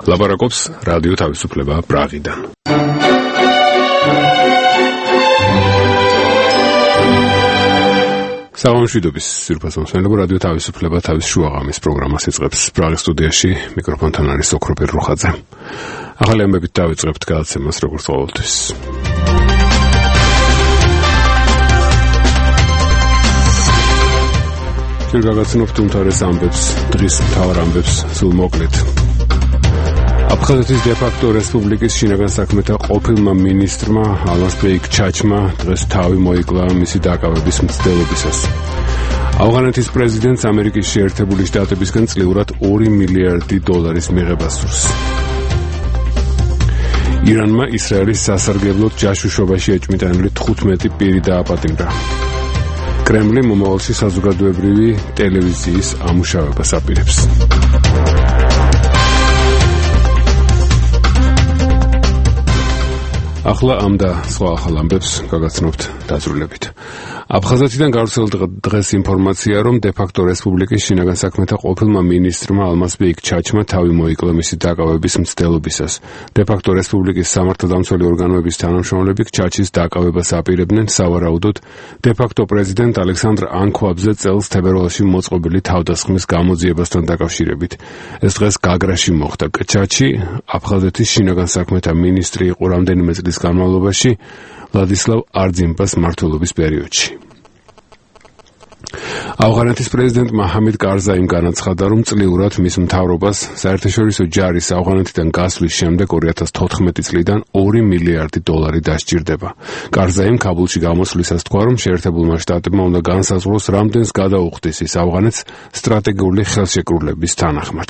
ლაპარაკობს რადიო თავისუფლება პრაღიდან. საღამოშვიდობის სირფასო მსმენელებო, რადიო თავისუფლება თავის შუაღამის პროგრამას იწყებს. პრაღის სტუდიაში მიკროფონთან არის ოქროპირ რუხაძე. ახალი ამბებით დავიწყებთ გადაცემას როგორც ყოველთვის. ჩვენ გაგაცნობთ უმთავრეს ამბებს, დღის მთავარ ამბებს სულ მოკლედ. აფხაზეთის დე-ფაქტო რესპუბლიკის შინაგან საქმეთა ყოფილმა მინისტრმა ალმას ბეიქ ჩაჩმა დღეს თავი მოიკლა მისი დაკავების მცდელობისას. ავღანეთის პრეზიდენტს ამერიკის შეერთებული შტატებისგან წლიურად $2 მილიარდი მიღება სურს. ირანმა ისრაელის სასარგებლოდ ჯაშუშობაში ეჭვმიტანილი 15 პირი დააპატიმრა. კრემლი მომავალში საზოგადოებრივი ტელევიზიის ამუშავებას აპირებს. ახლა ამ და სხვა ახალ ამბებს გაგაცნობთ დაწვრილებით. აფხაზეთიდან გავრცელდა დღეს ინფორმაცია, რომ დე-ფაქტო რესპუბლიკის შინაგან საქმეთა ყოფილმა მინისტრმა ალმას ბეიქ ჩაჩმა თავი მოიკლა მისი დაკავების მცდელობისას. დე-ფაქტო რესპუბლიკის სამართალდამცველი ორგანოების თანამშრომლები ჩაჩის დაკავებას აპირებდნენ სავარაუდოდ დე-ფაქტო პრეზიდენტ ალექსანდრ ანქვაბზე წელს თებერვალში მოწყობილი თავდასხმის გამოძიებასთან დაკავშირებით. ეს დღეს გაგრაში მოხდა. ჩაჩი აფხაზეთის შინაგან საქმეთა მინისტრი იყო რამდენიმე წლის განმავლობაში ვლადისლავ არძიმბას მმართველობის პერიოდში. ავღანეთის პრეზიდენტმა ჰამიდ კარზაიმ განაცხადა, რომ წლიურად მის მთავრობას საერთაშორისო ჯარის ავღანეთიდან გასვლის შემდეგ 2014 წლიდან $2 მილიარდი დასჭირდება. კარზაიმ ქაბულში გამოსვლისას თქვა, რომ შეერთებულმა შტატებმა უნდა განსაზღვროს, რამდენს გადაუხდის ის ავღანეთს სტრატეგიული ხელშეკრულების თანახმად.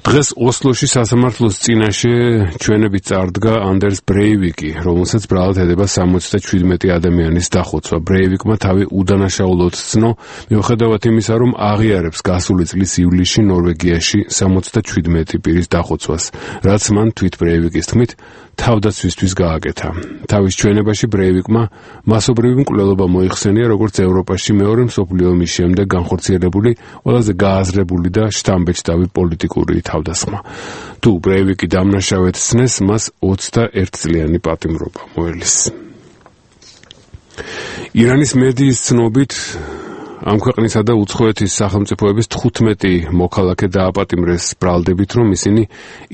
დღეს ოსლოში სასამართლოს წინაშე ჩვენებით წარდგა ანდერს ბრეივიკი, რომელსაც ბრალად ედება 77 ადამიანის დახოცვა. ბრეივიკმა თავი უდანაშაულოდ ცნო, მიუხედავად იმისა, რომ აღიარებს გასული წლის ივლისში ნორვეგიაში 77 პირის დახოცვას, რაც მან თვით ბრეივიკის თქმით თავდაცვისთვის გააკეთა. თავის ჩვენებაში ბრეივიკმა მასობრივი მკვლელობა მოიხსენია, როგორც ევროპაში მეორე მსოფლიო ომის შემდეგ განხორციელებული ყველაზე გააზრებული და შთამბეჭდავი პოლიტიკური თავდასხმა. თუ ბრეივიკი დამნაშავედ ცნეს, მას 21 წლიანი პატიმრობა მოელის. ირანის მედიის ცნობით ამ ქვეყნისა და უცხოეთის სახელმწიფოების 15 მოქალაქე დააპატიმრეს ბრალდებით, რომ ისინი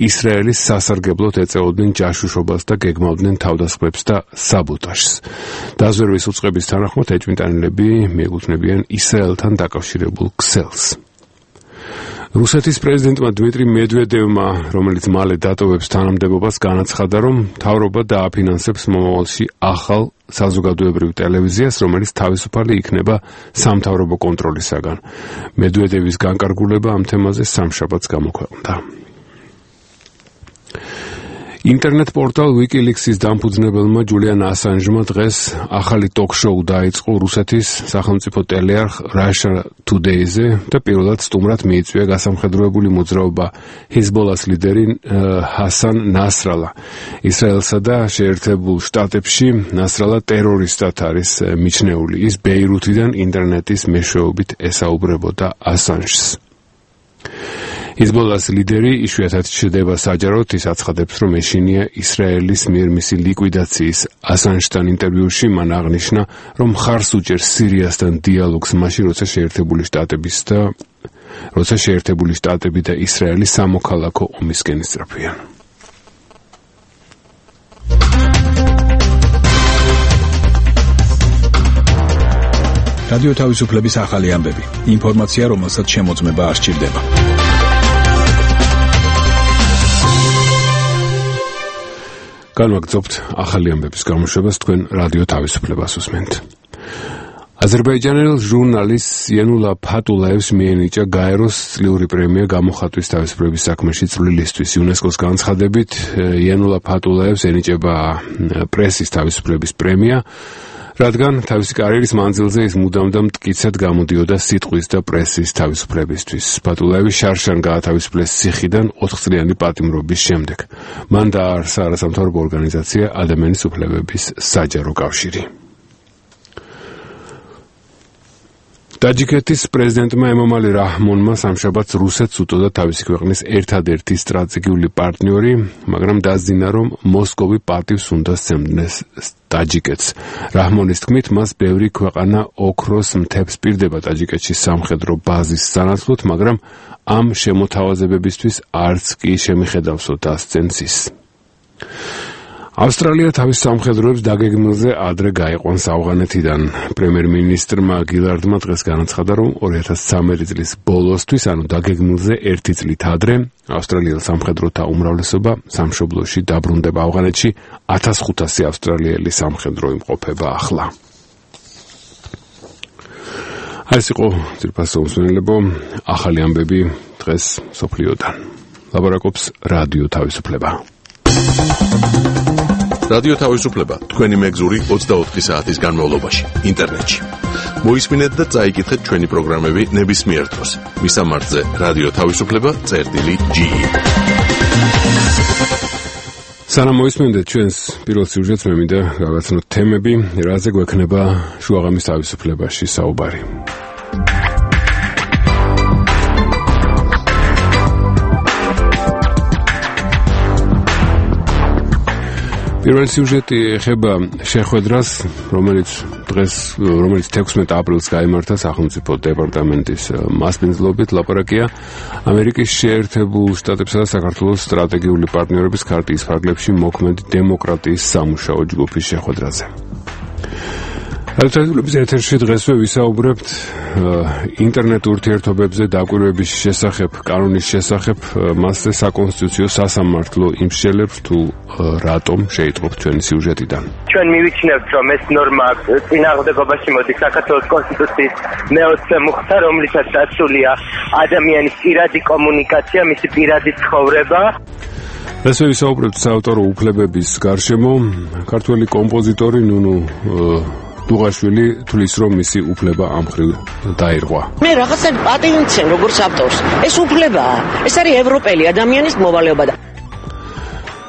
ისრაელის სასარგებლოდ ეწეოდნენ ჯაშუშობას და გეგმავდნენ თავდასხმებს და საბოტაჟს. დაზვერვის უწყების თანახმად ეჭვმიტანილები მიეკუთვნებიან ისრაელთან დაკავშირებულ ქსელს. რუსეთის პრეზიდენტმა დმიტრი მედვედევმა, რომელიც მალე დატოვებს თანამდებობას, განაცხადა, რომ მთავრობა დააფინანსებს მომავალში ახალ საზოგადოებრივ ტელევიზიას, რომელიც თავისუფალი იქნება სამთავრობო კონტროლისაგან. მედვედევის განკარგულება ამ თემაზე სამშაბათს გამოქვეყნდა. ინტერნეტ პორტალ WikiLeaks-ის დამფუძნებელმა ჯულიან ასანჟმა დღეს ახალი ტოკ-შოუ დაიწყო რუსეთის სახელმწიფო ტელეარხ Russia Today-ზე და პირველად სტუმრად მიიწვია გასამხედროებული მოძრაობა ჰეზბოლას ლიდერი ჰასან ნასრალა. ისრაელსა და შეერთებულ შტატებში ნასრალა ტერორისტად არის მიჩნეული. ის ბეირუთიდან ინტერნეტის მეშვეობით ესაუბრებოდა ასანჟს. ჰეზბოლას ლიდერი იშვიათად ჩნდება საჯაროდ, ის აცხადებს, რომ ეშინია ისრაელის მიერ მისი ლიკვიდაციის. ასანჟთან ინტერვიუში მან აღნიშნა, რომ მხარს უჭერს სირიასთან დიალოგს მაშინ, როცა შეერთებული შტატები და ისრაელი სამოქალაქო ომისკენ ისწრაფვიან. რადიო თავისუფლების ახალი ამბები. ინფორმაცია, რომელსაც შემოწმება არ სჭირდება. განვაგრძობთ ახალი ამბების გამოშვებას, თქვენ რადიო თავისუფლებას უსმენთ. აზერბაიჯანელ ჟურნალისტს იანულა ფატულაევს მიენიჭა გაეროს წლიური პრემია გამოხატვის თავისუფლების საქმეში წვლილისთვის. იუნესკოს განცხადებით, იანულა ფატულაევს ენიჭება პრესის თავისუფლების პრემია, რადგან თავისი კარიერის მანძილზე ის მუდამ და მტკიცედ გამოდიოდა სიტყვის და პრესის თავისუფლებისთვის. ფატულაევი შარშან გაათავისუფლეს ციხიდან 4 წლიანი პატიმრობის შემდეგ. მან დააარსა არასამთავრობო ორგანიზაცია ადამიანის უფლებების საჯარო კავშირი. ტაჯიკეთის პრეზიდენტმა ემომალი რაჰმონმა სამშაბათს რუსეთს უტოდა თავისი ქვეყნის ერთადერთი სტრატეგიული პარტნიორი, მაგრამ დაძინა, რომ მოსკოვი პატივს უნდა სცემდეს ტაჯიკეთს. რაჰმონის თქმით, მას ბევრი ქვეყანა ოქროს მთებს პირდება ტაჯიკეთში სამხედრო ბაზის სანაცვლოდ, მაგრამ ამ შემოთავაზებებისთვის არც კი შემიხედავსო დასცენს ის. ავსტრალია თავის სამხედროებს დაგეგმილზე ადრე გაიყვანს ავღანეთიდან. პრემიერ-მინისტრმა გილარდმა დღეს განაცხადა, რომ 2013 წლის ბოლოსთვის, ანუ დაგეგმილზე 1 წლით ადრე, ავსტრალიელ სამხედროთა უმრავლესობა სამშობლოში დაბრუნდება. ავღანეთში 1500 ავსტრალიელი სამხედრო იმყოფება ახლა. ეს იყო ძირფასო მსმენელებო, ახალი ამბები დღეს სოფლიოდან. ლაბორაკობს რადიო თავისუფლება. რადიო თავისუფლება თქვენი მეგზური 24 საათის განმავლობაში ინტერნეტში. მოისმინეთ და წაიკითხეთ ჩვენი პროგრამები ნებისმიერ დროს. მისამართზე რადიო თავისუფლება.ge. სანამ მოისმენთ ჩვენს პირველ სიუჟეტს, მე მინდა გავაცნოთ თემები, რაზე გვექნება შუაღამის თავისუფლებაში საუბარი. პირველი სიუჟეტი ეხება შეხვედრას, რომელიც 16 აპრილს გაიმართა სახელმწიფო დეპარტამენტის მასპინძლობით. ლაპარაკია ამერიკის შეერთებულ შტატებსა და საქართველოს სტრატეგიული პარტნიორობის ქარტიის ფარგლებში მოქმედი დემოკრატიის სამუშაო ჯგუფის შეხვედრაზე. რადიოთელევიზიის ეთერში დღესვე ვისაუბრებთ ინტერნეტ ურთიერთობებზე დაკვირვების შესახებ, კანონის შესახებ, მასზე საკონსტიტუციო სასამართლო იმსჯელებს თუ რატომ შეიტყობ ჩვენი სიუჟეტიდან. ჩვენ მივიჩნევთ, რომ ეს ნორმა წინააღმდეგობაში მოდის საქართველოს კონსტიტუციის მე-20 მუხტა, რომლითაც დაცულია ადამიანის პირადი კომუნიკაცია, მისი პირადი ცხოვრება. დღესვე ვისაუბრებთ საავტორო უფლებების გარშემო. ქართველი კომპოზიტორი ნუნუ დუღაშვილი თulis რომ მისი უფლება ამ მხრივ დაირღვა. მე რაღაცა პატივი მცემ როგორც ავტორს. ეს უფლებაა. ეს არის ევროპელი ადამიანის მოვალეობა და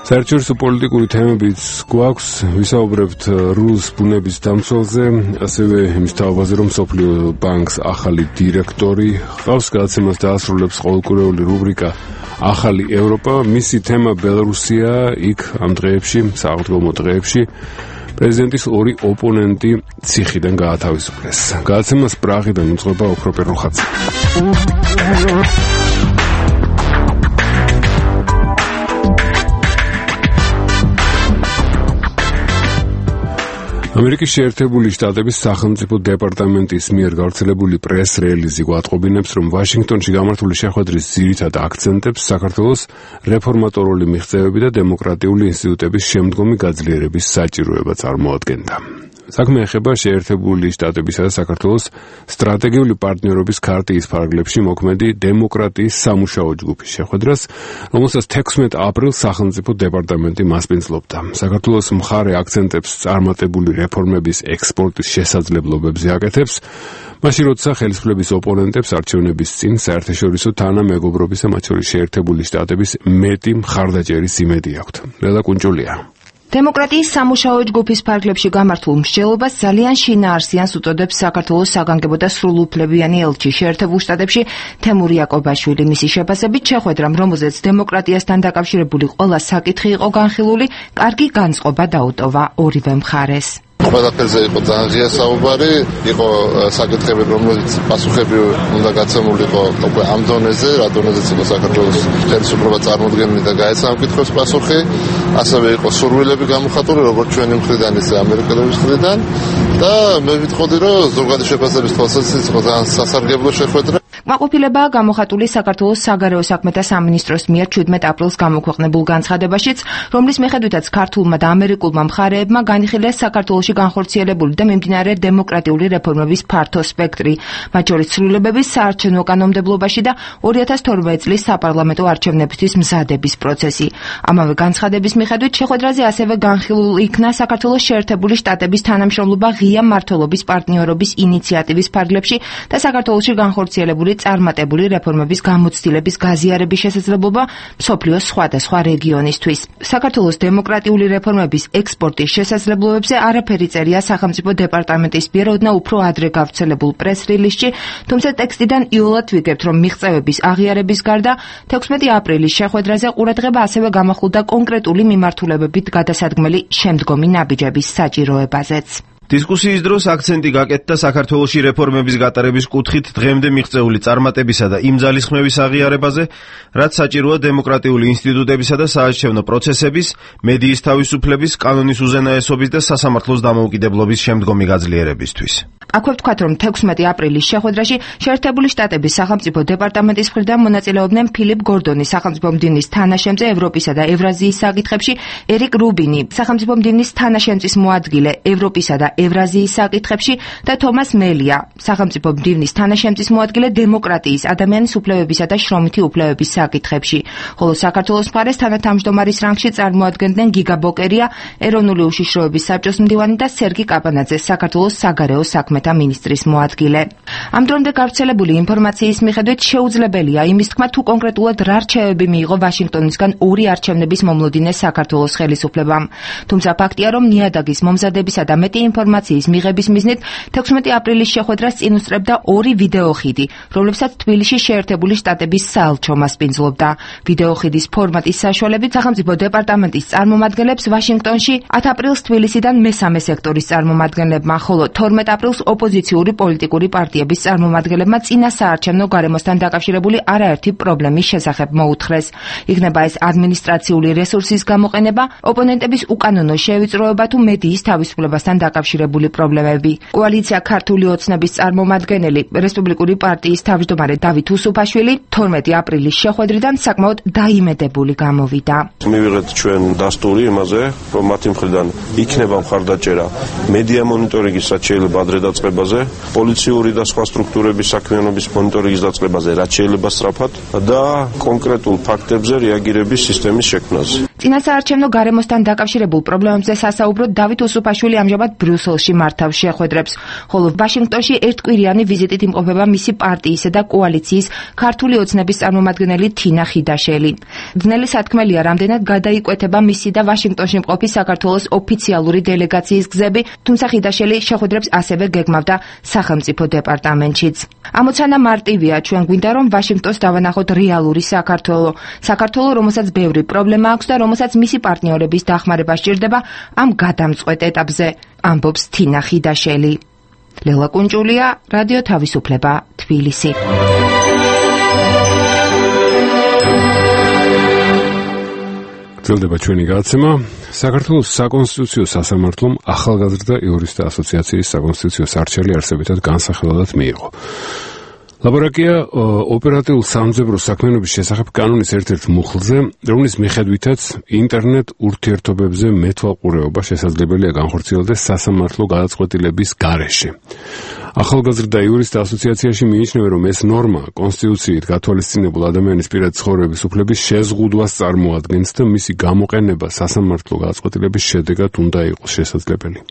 საერთაშორისო პოლიტიკური თემებიც გვაქვს, ვისაუბრებთ რუს ბუნების დამცველზე, ასევე იმის თაობაზე, რომ სოფლიო ბანკს ახალი დირექტორი ჰყავს, გადაცემას დაასრულებს ყოველკვირეული რუბრიკა ახალი ევროპა. მისი თემა ბელარუსია, იქ ამ დღეებში, სააღდგომო დღეებში პრეზიდენტის ორი ოპონენტი ციხიდან გაათავისუფლეს. გადაცემას პრაღიდან უძღვება ოქრო პერუხაძე. ამერიკის შეერთებული შტატების სახელმწიფო დეპარტამენტის მიერ გავრცელებული პრეს-რელიზი გვატყობინებს, რომ ვაშინგტონში გამართული შეხვედრის ძირითად აქცენტებს საქართველოს რეფორმატორული მიღწევები და დემოკრატიული ინსტიტუტების შემდგომი გაძლიერების საჭიროება წარმოადგენდა. საქმე ეხება შეერთებული შტატებისა და საქართველოს სტრატეგიული პარტნიორობის ქარტიის ფარგლებში მოქმედი დემოკრატიის სამუშაო ჯგუფის შეხვედრას, რომელსაც 16 აპრილს სახელმწიფო დეპარტამენტი მასპინძლობდა. საქართველოს მხარე აქცენტებს წარმატებული რეფორმების ექსპორტის შესაძლებლობებზე აკეთებს, მაშინ როცა ხელისუფლების ოპონენტებს არჩევნების წინ საერთაშორისო თანამეგობრობის და მათ შორის შეერთებული შტატების მეტი მხარდაჭერის იმედი აქვთ. ლელა კუნჭულია. დემოკრატიის სამუშაო ჯგუფის ფარგლებში გამართულ მსჯელობას ძალიან შინაარსიანს უტოდებს საქართველოს საგანგებო და სრულუფლებიანი ელჩი შეერთებულ შტატებში თემურ იაკობაშვილი. მისი შეფასებით შეხვედრამ, რომელზეც დემოკრატიასთან დაკავშირებული ყველა საკითხი იყო განხილული, კარგი განწყობა დაუტოვა ორივე მხარეს. ყველაფერზე იყო ძალიან ღია საუბარი, იყო საკითხები, რომელიც პასუხები უნდა გაცემულიყო უკვე ამ დონეზე, რა დონეზეც იყო საქართველოს ხელისუფლება წარმოდგენილი და გაეცა ამ კითხვებს პასუხი. ასევე იყო სურვილები გამოხატული, როგორც ჩვენი მხრიდან, ისე ამერიკელების მხრიდან და მე ვიტყოდი, რომ ზოგადი შეფასების თვალსაზრისით იყო ძალიან სასარგებლო შეხვედრა. კმაყოფილებაა გამოხატული საქართველოს საგარეო საქმეთა სამინისტროს მიერ 17 აპრილს გამოქვეყნებულ განცხადებაშიც, რომლის მიხედვითაც ქართულმა და ამერიკულმა მხარეებმა განიხილეს საქართველოში განხორციელებული და მიმდინარე დემოკრატიული რეფორმების ფართო სპექტრი, მათ შორის ცვლილებების საარჩევნო კანონმდებლობაში და 2012 წლის საპარლამენტო არჩევნებისთვის მზადების პროცესი. ამავე განცხადების მიხედვით შეხვედრაზე ასევე განხილულ იქნა საქართველოს შეერთებული შტატების თანამშრომლობა ღია მმართველობის პარტნიორობის ინიციატივის ფარგლებში და საქართველოში განხორციელებული წარმატებული რეფორმების გამოცდილების გაზიარების შესაძლებლობა მსოფლიოს სხვადასხვა რეგიონისთვის. საქართველოს დემოკრატიული რეფორმების ექსპორტის შესაძლებლობებზე არაფერი წერია სახელმწიფო დეპარტამენტის მიერ ოდნავ უფრო ადრე გავრცელებულ პრეს-რილიზში, თუმცა ტექსტიდან იოლად ვიგებთ, რომ მიღწევების აღიარების გარდა 16 აპრილის შეხვედრაზე ყურადღება ასევე გამახვილდა კონკრეტული მიმართულებებით გადასადგმელი შემდგომი ნაბიჯების საჭიროებაზეც. დისკუსიის დროს აქცენტი გაკეთდა საქართველოში რეფორმების გატარების კუთხით დღემდე მიღწეული წარმატებისა და იმ ძალისხმევის აღიარებაზე, რაც საჭიროა დემოკრატიული ინსტიტუტებისა და საარჩევნო პროცესების, მედიის თავისუფლების, კანონის უზენაესობის და სასამართლოს დამოუკიდებლობის შემდგომი გაძლიერებისთვის. აქვე ვთქვათ, რომ 16 აპრილის შეხვედრაში შეერთებული შტატების სახელმწიფო დეპარტამენტის მხრიდან მონაწილეობდნენ ფილიპ გორდონი, სახელმწიფო მდივნის თანაშემწე ევროპისა და ევრაზიის საკითხებში, ერიკ რუბინი, სახელმწიფო მდივნის თანაშემწის მოადგილე ევროპისა და ევრაზიის საკითხებში და თომას მელია, სახელმწიფო მდივნის თანაშემწის მოადგილე დემოკრატიის, ადამიანის უფლებებისა და შრომითი უფლებების საკითხებში. ხოლო საქართველოს მხარეს თანათავმჯდომარის რანგში წარმოადგენდნენ გიგა ბოკერია, ეროვნული უშიშროების საბჭოს მდივანი და სერგი კაპანაძე, საქართველოს საგარეო საქმეთა მინისტრის მოადგილე. ამ დრომდე გავრცელებული ინფორმაციის მიხედვით შეუძლებელია იმის თქმა, თუ კონკრეტულად რა რჩევები მიიღო ვაშინგტონისგან ორი არჩევნების მომლოდინე საქართველოს ხელისუფლებამ. თუმცა ფაქტია, რომ ნიადაგის მომზადებისა და მეტი ინფორმაციის მიღების მიზნით 16 აპრილის შეხვედრას წინ უსწრებდა ორი ვიდეოხიდი, რომლებსაც თბილისში შეერთებული შტატების საელჩო მასპინძლობდა. ვიდეოხიდის ფორმატის საშუალებით სახელმწიფო დეპარტამენტის წარმომადგენლებს ვაშინგტონში 10 აპრილს თბილისიდან მესამე სექტორის წარმომადგენლებმა, ხოლო 12 აპრილს ოპოზიციური პოლიტიკური პარტიების წარმომადგენლებმა წინა საარჩევნო გარემოსთან დაკავშირებული არაერთი პრობლემის შესახებ მოუთხრეს. იქნება ეს ადმინისტრაციული რესურსის გამოყენება, ოპონენტების უკანონო შევიწროება თუ მედიის თავისუფლებასთან დაკავშირებული პრობლემები. კოალიცია ქართული ოცნების წარმომადგენელი, რესპუბლიკური პარტიის თავმჯდომარე დავით უსუფაშვილი 12 აპრილის შეხვედრიდან საკმაოდ დაიმედებული გამოვიდა. მივიღეთ ჩვენ დასტური იმაზე, რომ მათი მხრიდან იქნება მხარდაჭერა მედია მონიტორინგის რაც შეიძლება ადრე დაწყებაზე, პოლიციური და სხვა სტრუქტურების საქმიანობის მონიტორინგის დაწყებაზე რაც შეიძლება სწრაფად და კონკრეტულ ფაქტებზე რეაგირების სისტემის შექმნაზე. წინასაარჩევნო გარემოსთან დაკავშირებულ პრობლემებზე სასაუბროდ დავით უსუფაშვილი ამჟამად ბრიუსელში მართავს შეხვედრებს, ხოლო ვაშინგტონში ერთკვირიანი ვიზიტით იმყოფება მისი პარტიისა და კოალიციის ქართული ოცნების წარმომადგენელი თინა ხიდაშელი. ძნელი სათქმელია, რამდენად გადაიკვეთება მისი და ვაშინგტონში მყოფი საქართველოს ოფიციალური დელეგაციის გზები, თუმცა ხიდაშელი შეხვედრებს ასევე გეგმავდა სახელმწიფო დეპარტამენტშიც. ამოცანა მარტივია, ჩვენ გვინდა რომ ვაშინგტონს დავანახოთ რეალური საქართველო, რომელსაც ბევრი პრობლემა აქვს და რომელსაც მისი პარტნიორების დახმარება სჭირდება ამ გადამწყვეტ ეტაპზე, ამბობს თინა ხიდაშელი. ლელა კუნჭულია, რადიო თავისუფლება, თბილისი. გრძელდება ჩვენი გადაცემა. საქართველოს საკონსტიტუციო სასამართლომ ახალგაზრდა იურისტთა ასოციაციის საკონსტიტუციო სარჩელი არსებითად განსახილველად მიიღო. ლაბორაკია ოპერატიულ სამძებრო საქმიანობის შესახებ კანონის ერთ-ერთ მუხლზე, რომლის მიხედვითაც ინტერნეტ ურთიერთობებზე მეთვალყურეობა შესაძლებელია განხორციელდეს სასამართლო გადაწყვეტილების გარეშე. ახალგაზრდა იურისტთა ასოციაციაში მიიჩნევენ, რომ ეს ნორმა კონსტიტუციით გათვალისწინებულ ადამიანის პირადი ცხოვრების უფლების შეზღუდვას წარმოადგენს და მისი გამოყენება სასამართლო გადაწყვეტილების შედეგად უნდა იყოს შესაძლებელი.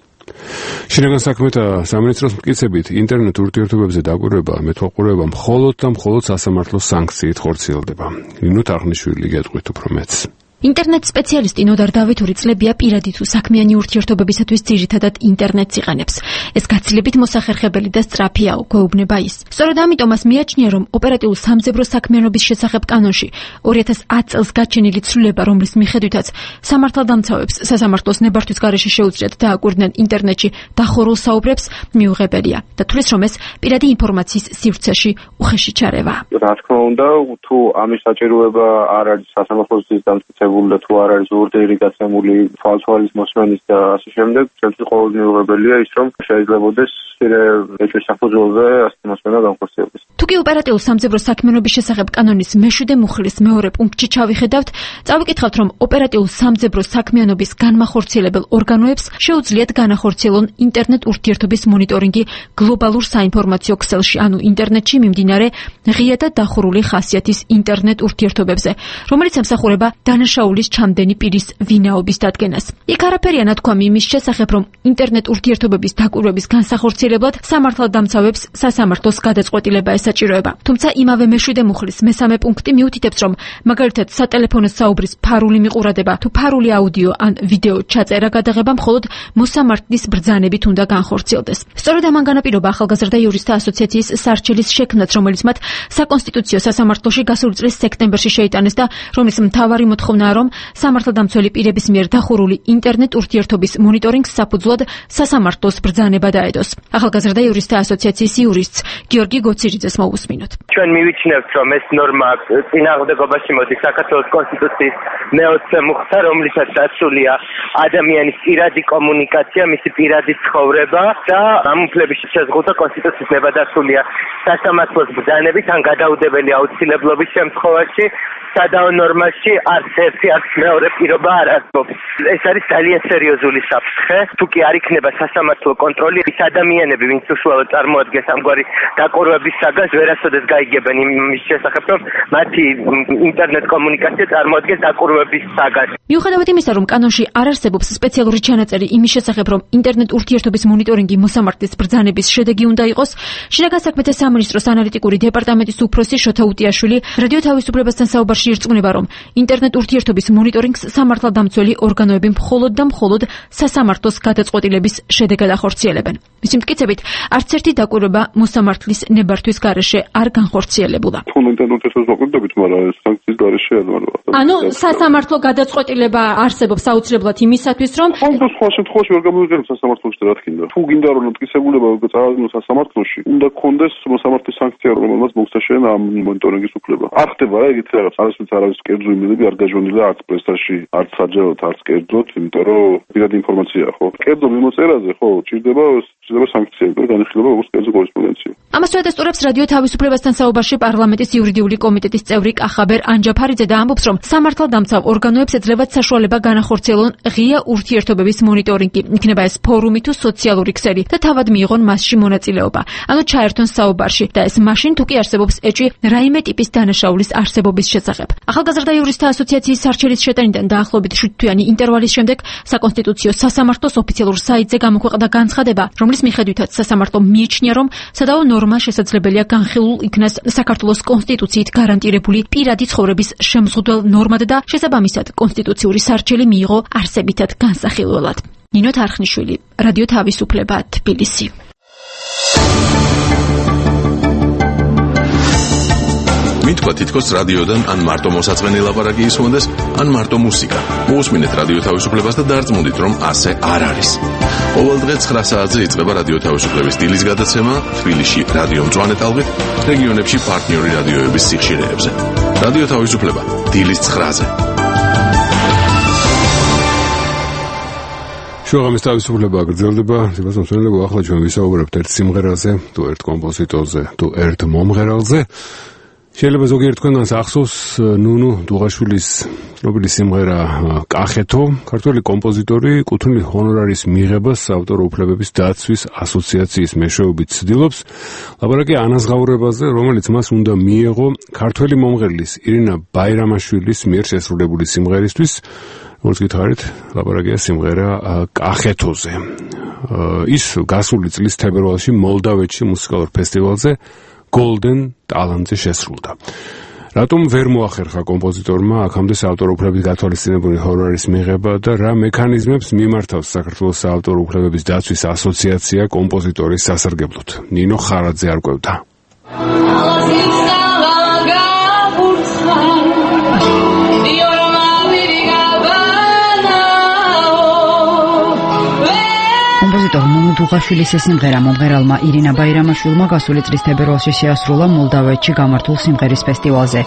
შინაგან საქმეთა სამინისტროს მტკიცებით, ინტერნეტ ურთიერთობებზე დაკვირვება, მეთვალყურეობა მხოლოდ და მხოლოდ სასამართლოს სანქციით ხორციელდება. ნინო თარხნიშვილი გეტყვით უფრო მეც. ინტერნეტ სპეციალისტი ნოდარ დავითური წლებია პირადი თუ საქმიანი ურთიერთობებისათვის ძირითადად ინტერნეტს იყენებს. ეს გაცილებით მოსახერხებელი და სწრაფია, გვეუბნება ის. სწორედ ამიტომაც მიაჩნია, რომ ოპერატიულ სამძებრო საქმიანობის შესახებ კანონში 2010 წელს გაჩენილი ცვლილება, რომლის მიხედვითაც სამართალდამცავებს სასამართლოს ნებართვის გარეშე შეუძლიათ დააკვირდნენ ინტერნეტში დახურულ საუბრებს, მიუღებელია და თulis რომ ეს პირადი ინფორმაციის სივრცეში უხეში ჩარევა. რა თქმა უნდა, თუ ამის საჭიროება არ არის სასამართლოს დამტკიცებული და თუ არ არის ორდერი გაცემული თვალთვალის მოსმენის და ასე შემდეგ, ჩვენთვის ყოველ მიუღებელია ის, რომ შეიძლებაოდეს ეჭვის საფუძველზე ასეთი მოსმენა განხორციელდეს. თუკი ოპერატიულ სამძებრო საქმიანობის შესახებ კანონის მე-7 მუხლის მეორე პუნქტში ჩავიხედავთ, წავიკითხავთ, რომ ოპერატიულ სამძებრო საქმიანობის განმახორციელებელ ორგანოებს შეუძლიათ განახორციელონ ინტერნეტ ურთიერთობის მონიტორინგი გლობალურ საინფორმაციო ქსელში, ანუ ინტერნეტში მიმდინარე ღია და დახურული ხასიათის ინტერნეტ ურთიერთობებზე, რომელიც ემსახურება დანაშაულის ჩამდენი პირის ვინაობის დადგენას. იქ არაფერია ნათქვამი იმის შესახებ, რომ ინტერნეტ ურთიერთობების დაკვირვების განსახორციელებლად სამართალდამცავებს სასამართლოს გადაწყვეტილება ესაჯებინათ. საჭიროება. თუმცა იმავე მეშვიდე მუხლის მესამე პუნქტი მიუთითებს, რომ მაგალითად სატელეფონო საუბრის ფარული მიყურადება თუ ფარული აუდიო ან ვიდეო ჩაწერა გადაღება მხოლოდ მოსამართლის ბრძანებით უნდა განხორციელდეს. სწორედ ამან განაპირობა ახალგაზრდა იურისტთა ასოციაციის სარჩელის შექმნაც, რომელიც მათ საკონსტიტუციო სასამართლოში გასული წლის სექტემბერში შეიტანეს და რომლის მთავარი მოთხოვნაა, რომ სამართალდამცველი პირების მიერ დახურული ინტერნეტ ურთიერთობის მონიტორინგს საფუძვლად სასამართლოს ბრძანება დაედოს. ახალგაზრდა იურისტთა ასოციაციის იურისტს გიორგი გოცირიძეს მოусმინოთ. ჩვენ მივიჩნევთ, რომ ეს ნორმა წინააღმდეგობაში მოდის საქართველოს კონსტიტუციის მე-20 მუხლსა, რომლითაც დაცულია ადამიანის პირადი კომუნიკაცია, მისი პირადი ცხოვრება და ამ უფლების შეზღუდვა კონსტიტუციის ნებადართულია სასამართლოს ბრძანებით ან გადაუდებელი აუცილებლობის შემთხვევაში. სადაო ნორმაში არც ერთი არც მეორე პირობა არ არსებობს. ეს არის ძალიან სერიოზული საფრთხე. თუ კი არ იქნება სასამართლო კონტროლი, ის ადამიანები, ვინც უშუალოდ წარმოადგენს ამგვარი დაკვირვების საგანს, ვერასოდეს გაიგებენ იმის შესახებ, რომ მათი ინტერნეტ კომუნიკაცია წარმოადგენს დაკვირვების საგანს. მიუხედავად იმისა, რომ კანონში არ არსებობს სპეციალური ჩანაწერი იმის შესახებ, რომ ინტერნეტ ურთიერთობის მონიტორინგი მოსამართლის ბრძანების შედეგი უნდა იყოს, შინაგან საქმეთა სამინისტროს ანალიტიკური დეპარტამენტის უფროსი შოთა უტიაშვილი რადიო თავისუფლებასთან საუბარში ირწმუნება, რომ ინტერნეტ ურთიერთობის მონიტორინგს სამართალდამცველი ორგანოები მხოლოდ და მხოლოდ სასამართლოს გადაწყვეტილების შედეგად ახორციელებენ. მისი მტკიცებით, არც ერთი დაკვირვება მოსამართლის ნებართვის გარეშე არ განხორციელებულა. ანუ სასამართლო გადაწყვეტილება არსებობს აუცილებლად იმისათვის, რომ სხვა შემთხვევაში ვერ გამოვიყენებ სასამართლოში რა თქმა უნდა. თუ გინდა რომ მტკიცებულება წავადგინოს სასამართლოში, უნდა გქონდეს მოსამართლის სანქცია, რომელმაც მოგცაშენ ამ მონიტორინგის უფლება. არ ხდება რა ეგეთი რაღაც, არავის კერძო იმედები არ გაჟონილა არც პრესაში, არც საჯაროდ, არც კერძოდ, იმიტომ რომ პირადი ინფორმაციაა, ხო? კერძო მიმოწერაზე, ხო, ჭირდება სანქციები და განიხილება როგორც კერძო კორესპონდენცია. ამას ეთესტურებს რადიო თავისუფლებასთან საუბარში პარლამენტის იურიდიული კომიტეტის წევრი კახაბერ ანჯაფარიძე და ამბობს, რომ სამართალდამცავ ორგანოებს ეძლებათ საშუალება განახორციელონ ღია ურთიერთობების მონიტორინგი, იქნება ეს ფორუმი თუ სოციალური ქსელი და თავად მიიღონ მასში მონაწილეობა. ანუ ჩაერთონ საუბარში და ეს მაშინ თუ კი არსებობს ეჭვი რაიმე ტიპის დანაშაულის არსებობის შესახებ. ახალგაზრდა იურისტთა ასოციაციის სარჩელის შეტანიდან დაახლოებით 7 თვიანი ინტერვალის შემდეგ საკონსტიტუციო სასამართლოს ოფიციალურ საიტზე გამოქვეყნდა განცხადება, რომლის მიხედვითაც სასამართლო მიიჩნია, რომ სადაო ნორმა შესაძლებელია განხილულ იქნას საქართველოს კონსტიტუციით გარანტირებული პირადი ცხოვრების შემზღუდველ ნორმად და შესაბამისად კონსტიტუციური სარჩელი მიიღო არსებითად განსახილველად. ნინო თარხნიშვილი, რადიო თავისუფლება, თბილისი. მითქვა თითქოს რადიოდან ან მარტო მოსაწყენი ლაპარაკი ისმონდეს, ან მარტო მუსიკა. მოусმინეთ რადიო თავისუფლებას და დარწმუნდით, რომ ასე არ არის. ყოველ დღე 9 საათზე იწყება რადიო თავისუფლების დილის გადაცემა თბილისში რადიო მწვანე ტალღით, რეგიონებში პარტნიორი რადიოების სიხშირეებზე. რადიო თავისუფლება დილის 9-ზე. შუაღამის თავისუფლება გრძელდება, სიმართლე ახლა ჩვენ ვისაუბრებთ ერთ სიმღერაზე, თუ ერთ კომპოზიტორზე, თუ ერთ მომღერალზე. შეიძლება ზოგიერთ თქვენგანს ახსოვს ნუნუ დუღაშვილის ცნობილი სიმღერა კახეთო, ქართველი კომპოზიტორი კუთვნილი ჰონორარის მიღებას საავტორო უფლებების დაცვის ასოციაციის მეშვეობით ცდილობს. ლაპარაკია ანაზღაურებაზე, რომელიც მას უნდა მიეღო ქართველი მომღერლის ირინა ბაირამაშვილის მიერ შესრულებული სიმღერისთვის, როგორც გითხარით, ლაპარაკია სიმღერა კახეთოზე. ის გასული წლის თებერვალში მოლდავეთში მუსიკალურ ფესტივალზე Golden ტალანტზე შესრულდა. რატომ ვერ მოახერხა კომპოზიტორმა აქამდე საავტორო უფლებების გათვალისწინებული ჰონორარის მიღება და რა მექანიზმებს მიმართავს საქართველოს საავტორო უფლებების დაცვის ასოციაცია კომპოზიტორის სასარგებლოდ? ნინო ხარაძე არკვევდა. კომპოზიტორ ნუნუ დუღაშვილის სიმღერა მომღერალმა ირინა ბაირამაშვილმა გასული წლის თებერვალში შეასრულა მოლდავეთში გამართულ სიმღერის ფესტივალზე.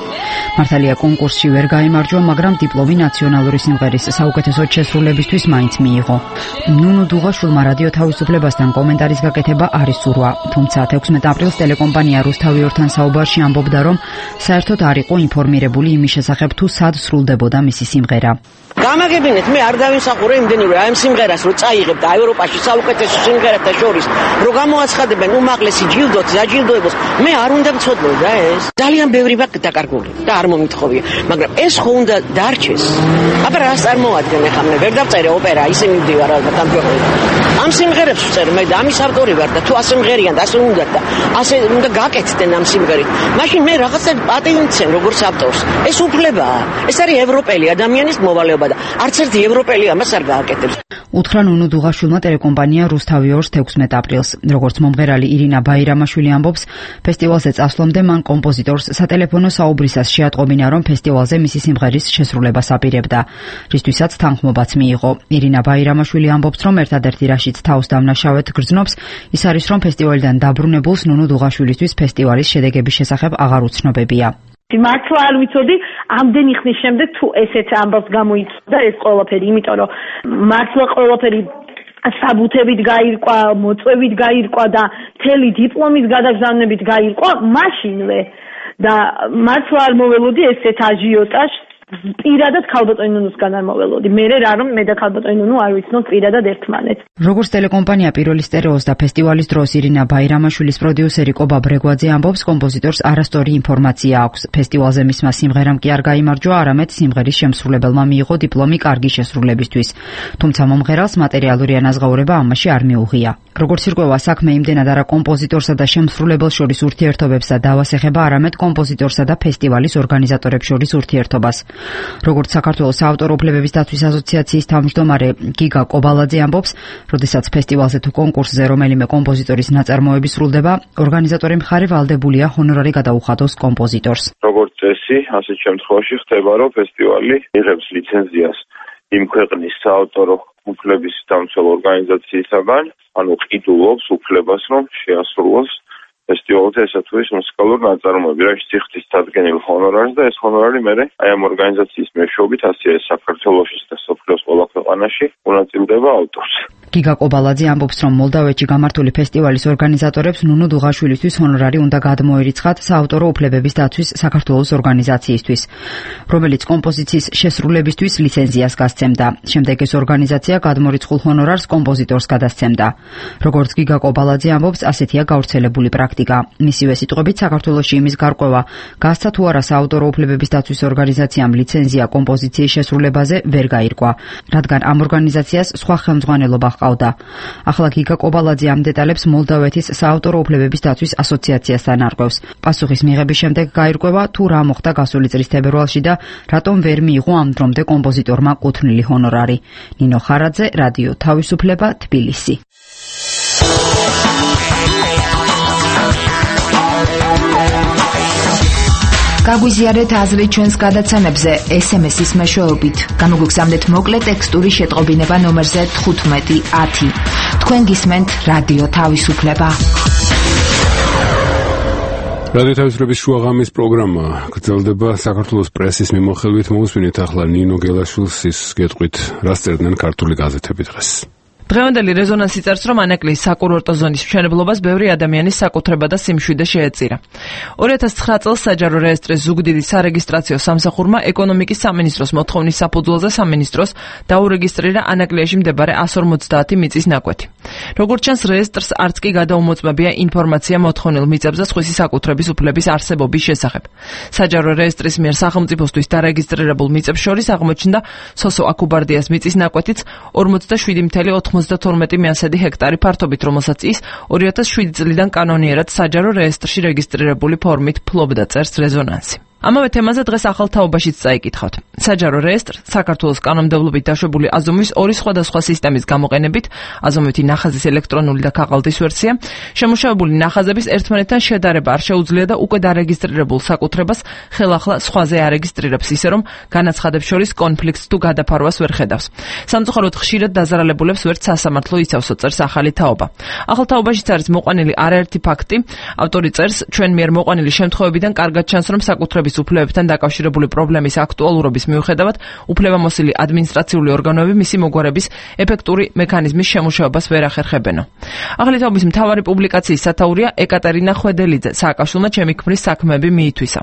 მართალია კონკურსში ვერ გაიმარჯვა, მაგრამ დიპლომი ნაციონალური სიმღერის საუკეთესო შესრულებისთვის მაინც მიიღო. ნუნუ დუღაშვილმა რადიო თავისუფლებასთან კომენტარის გაკეთება არ ისურვა, თუმცა 16 აპრილს ტელეკომპანია რუსთავი-ორთან საუბარში ამბობდა, რომ საერთოდ არ იყო ინფორმირებული იმის შესახებ, თუ სად სრულდებოდა მისი სიმღერა. გამაგებინეთ, მე არ დავიმსახურე იმდენი რომ აი ამ სიმღერას რო წაიღებ და ევროპაში საუკეთესო სიმღერა სიმღერათა შორის რო გამოაცხადებენ უმაღლესი ჯილდოც, დაჯილდოებოს, მე არ უნდა მცოდნო და ეს. ძალიან ბევრი მაქვს დაკარგული და არ მომითხოვია, მაგრამ ეს ხო უნდა დარჩეს. აბა რას წარმოადგენენ ახლა მე ვერ დავწერე ოპერა, ისინი მივდივარ ალბათ ამ ქვეყნიდან. ამ სიმღერებს ვწერ მე და ამის ავტორი ვარ და თუ ასე მღერიან და ასე უნდა და ასე უნდა გაკეთდნენ ამ სიმღერით. მაშინ მე რაღაცა პატივიცემ როგორც ავტორს. ეს უფლებაა. ეს არის ევროპელი ადამიანის მოვალეობა და არც ერთი ევროპელი ამას არ გააკეთებს. უთხრა ნუნუ დუღაშვილმა ტელეკომპანია რუსთავი 2-ს 16 აპრილს. როგორც მომღერალი ირინა ბაირამაშვილი ამბობს, ფესტივალზე წასვლამდე მან კომპოზიტორს სატელეფონო საუბრისას შეატყობინა, რომ ფესტივალზე მისი სიმღერის შესრულებას აპირებდა, რისთვისაც თანხმობაც მიიღო. ირინა ბაირამაშვილი ამბობს, რომ ერთადერთი რაშიც თავს დამნაშავედ გრძნობს, ის არის, რომ ფესტივალიდან დაბრუნებულს ნუნუ დუღაშვილისთვის ფესტივალის შედეგების შესახებ აღარ უცნობებია. მართლა არ ვიცოდი ამდენი ხნის შემდეგ თუ ესეც ამბავს გამოიწვია ეს ყველაფერი, იმიტომ რომ მართლა ყველაფერი საბუთებით გაირკვა, მოწვევით გაირკვა და მთელი დიპლომის გადაგზავნებით გაირკვა მაშინვე და მართლა არ მოველოდი ესეთ აჟიოტაჟს პირადად ქალბატონი ნუნუსგან არ მოველოდი. მე რა რომ მე და ქალბატონი ნუნუ არ ვიცნობ პირადად ერთმანეთს. როგორც ტელეკომპანია პირველი სტერეოს და ფესტივალის დროს ირინა ბაირამაშვილის პროდიუსერი კობა ბრეგვაძე ამბობს, კომპოზიტორს არასწორი ინფორმაცია აქვს. ფესტივალზე მისმა სიმღერამ კი არ გაიმარჯვა, არამედ სიმღერის შემსრულებელმა მიიღო დიპლომი კარგი შესრულებისთვის. თუმცა მომღერალს მატერიალური ანაზღაურება ამაში არ მიუღია. როგორც ირკვევა, საქმე იმდენად არა კომპოზიტორსა და შემსრულებელს შორის ურთიერთობებს და დავას ეხება, არამედ კომპოზიტორსა და ფესტივალის ორგანიზატორებს შორის ურთიერთობას. როგორც საქართველოს საავტორო უფლებების დაცვის ასოციაციის თავმჯდომარე გიგა კობალაძე ამბობს, როდესაც ფესტივალზე თუ კონკურსზე რომელიმე კომპოზიტორის ნაწარმოები სრულდება, ორგანიზატორი მხარე ვალდებულია ჰონორარი გადაუხადოს კომპოზიტორს. როგორც წესი, ასეთ შემთხვევაში ხდება, რომ ფესტივალი იღებს ლიცენზიას იმ ქვეყნის საავტორო უფლების დამცველ ორგანიზაციისაგან, ანუ ყიდულობს უფლებას, რომ შეასრულოს ფესტივალზე ესა თუ ის მუსიკალური ნაწარმოები, რასაც იხდის დადგენილ ჰონორარს და ეს ჰონორარი მერე აი ამ ორგანიზაციის მეშვეობით ასევე საქართველოში და სოფლიოს ყველა ქვეყანაში უნაწილდება ავტორს. გიგა კობალაძე ამბობს, რომ მოლდავეთში გამართული ფესტივალის ორგანიზატორებს ნუნუ დუღაშვილისთვის ჰონორარი უნდა გადმოერიცხათ საავტორო უფლებების დაცვის საქართველოს ორგანიზაციისთვის, რომელიც კომპოზიციის შესრულებისთვის ლიცენზიას გასცემდა. შემდეგ ეს ორგანიზაცია გადმორიცხულ ჰონორარს კომპოზიტორს გადასცემდა. როგორც გიგა კობალაძე ამბობს, ასეთია გავრცელებული პრაქტიკა. მისივე სიტყვებით, საქართველოში იმის გარკვევა, გასცა თუ არა საავტორო უფლებების დაცვის ორგანიზაციამ ლიცენზია კომპოზიციის შესრულებაზე ვერ გაირკვა, რადგან ამ ორგანიზაციას სხვა ხელმძღვანელობა ჰყავდა. ახლა გიგა კობალაძე ამ დეტალებს მოლდავეთის საავტორო უფლებების დაცვის ასოციაციასთან არკვევს. პასუხის მიღების შემდეგ გაირკვევა, თუ რა მოხდა გასული წლის თებერვალში და რატომ ვერ მიიღო ამ დრომდე კომპოზიტორმა კუთვნილი ჰონორარი. ნინო ხარაძე, რადიო თავისუფლება, თბილისი. გაგვიზიარეთ აზრი ჩვენს გადაცემებზე SMS-ის მეშვეობით. გამოგვიგზავნეთ მოკლე ტექსტური შეტყობინება ნომერზე 1510. თქვენ გისმენთ რადიო თავისუფლება. რადიო თავისუფლების შუაღამის პროგრამა გრძელდება საქართველოს პრესის მიმოხილვით. მოусმინეთ ახლა ნინო გელაშვილს ის გეტყვით, რას წერდნენ ქართული გაზეთები დღეს. დღევანდელი რეზონანსი წერს, რომ ანაკლის საკურორტო ზონის მშენებლობას ბევრი ადამიანის საკუთრება და სიმშვიდე შეეწირა. 2009 წელს საჯარო რეესტრის ზუგდიდი სარეგისტრაციო სამსახურმა ეკონომიკის სამინისტროს მოთხოვნის საფუძველზე სამინისტროს დაურეგისტრირა ანაკლიაში მდებარე 150 მიწის ნაკვეთი. როგორც ჩანს, რეესტრს არც კი გადაუმოწმებია ინფორმაცია მოთხოვნილ მიწებზე სხვისი საკუთრების უფლების არსებობის შესახებ. საჯარო რეესტრის მიერ სახელმწიფოსთვის დარეგისტრირებულ მიწებს შორის აღმოჩნდა სოსო აკუბარდიას მიწის ნაკვეთიც 47.92 მეასედი ჰექტარი ფართობით, რომელსაც ის 2007 წლიდან კანონიერად საჯარო რეესტრში რეგისტრირებული ფორმით ფლობდა, წერს რეზონანსი. ამავე თემაზე დღეს ახალ თაობაშიც წაიკითხავთ. საჯარო რეესტრ საქართველოს კანონმდებლობით დაშვებული აზომვის ორი სხვადასხვა სისტემის გამოყენებით, აზომვითი ნახაზის ელექტრონული და ქაღალდის ვერსია, შემუშავებული ნახაზების ერთმანეთთან შედარება არ შეუძლია და უკვე დარეგისტრირებულ საკუთრებას ხელახლა სხვაზე არეგისტრირებს, ისე რომ განაცხადებს შორის კონფლიქტს თუ გადაფარვას ვერ ხედავს. სამწუხაროდ ხშირად დაზარალებულებს ვერც სასამართლო იცავსო, წერს ახალი თაობა. ახალ თაობაშიც არის მოყვანილი არაერთი ფაქტი. ავტორი წერს, ჩვენ მიერ მოყვანილი შემთხვევებიდან კარგად ჩანს, რომ საკუთრების უფლებებთან დაკავშირებული პრობლემის აქტუალურობის მიუხედავად, უფლებამოსილი ადმინისტრაციული ორგანოები მისი მოგვარების ეფექტური მექანიზმის შემუშავებას ვერ ახერხებენო. ახალი თაობის მთავარი პუბლიკაციის სათაურია ეკატერინა ხვედელიძე, სააკაშვილმა ჩემი ქმრის საქმეები მიითვისა.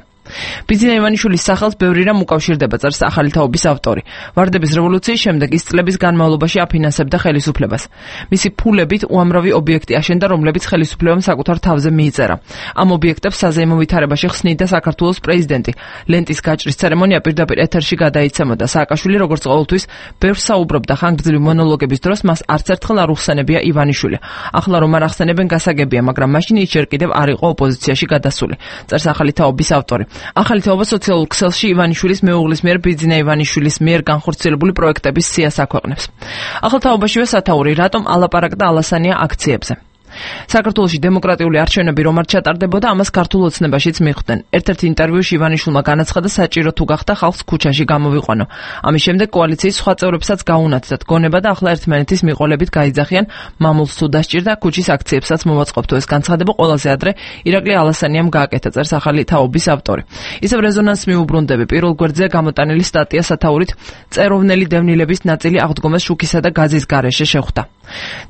ბიძინა ივანიშვილის სახელს ბევრი რამ უკავშირდება, წერს ახალი თაობის ავტორი. ვარდების რევოლუციის შემდეგ ის წლების განმავლობაში აფინანსებდა ხელისუფლებას. მისი ფულებით უამრავი ობიექტი აშენდა, რომლებიც ხელისუფლებამ საკუთარ თავზე მიიწერა. ამ ობიექტებს საზეიმო ვითარებაში ხსნიდა საქართველოს პრეზიდენტი. ლენტის გაჭრის ცერემონია პირდაპირ ეთერში გადაიცემოდა. სააკაშვილი როგორც ყოველთვის ბევრს საუბრობდა ხანგრძლივი მონოლოგების დროს, მას არც ერთხელ არ უხსენებია ივანიშვილი. ახლა რომ არ ახსენებენ გასაგებია, მაგრამ მაშინ ის ჯერ კიდევ არ იყო ოპოზიციაში გადასული. წერს ახალი თაობის ავტორი. ახალი თაობა სოციალურ ქსელში ივანიშვილის მეუღლის მიერ ბიძინა ივანიშვილის მიერ განხორციელებული პროექტების სიას აქვეყნებს. ახალ თაობაშივე სათაური, რატომ ალაპარაკდა ალასანია აქციებზე. საქართველოში დემოკრატიული არჩევნები რომ არ ჩატარდებოდა, ამას ქართულ ოცნებაშიც მიხვდნენ. ერთ-ერთ ინტერვიუში ივანიშვილმა განაცხადა, საჭირო თუ გახდა ხალხს ქუჩაში გამოვიყვანო. ამის შემდეგ კოალიციის სხვა წევრებსაც გაუნათდათ გონება და ახლა ერთმანეთის მიყოლებით გაიძახიან, მამულს თუ დასჭირდა, ქუჩის აქციებსაც მოვაწყობთ. ეს განცხადება ყველაზე ადრე ირაკლი ალასანიამ გააკეთა, წერს ახალი თაობის ავტორი. ისევ რეზონანსს მიუბრუნდები. პირველ გვერდზე გამოტანილი სტატია სათაურით წეროვნელი დევნილების ნაწილი აღდგომას შუქისა და გაზის გარეშე შეხვდა.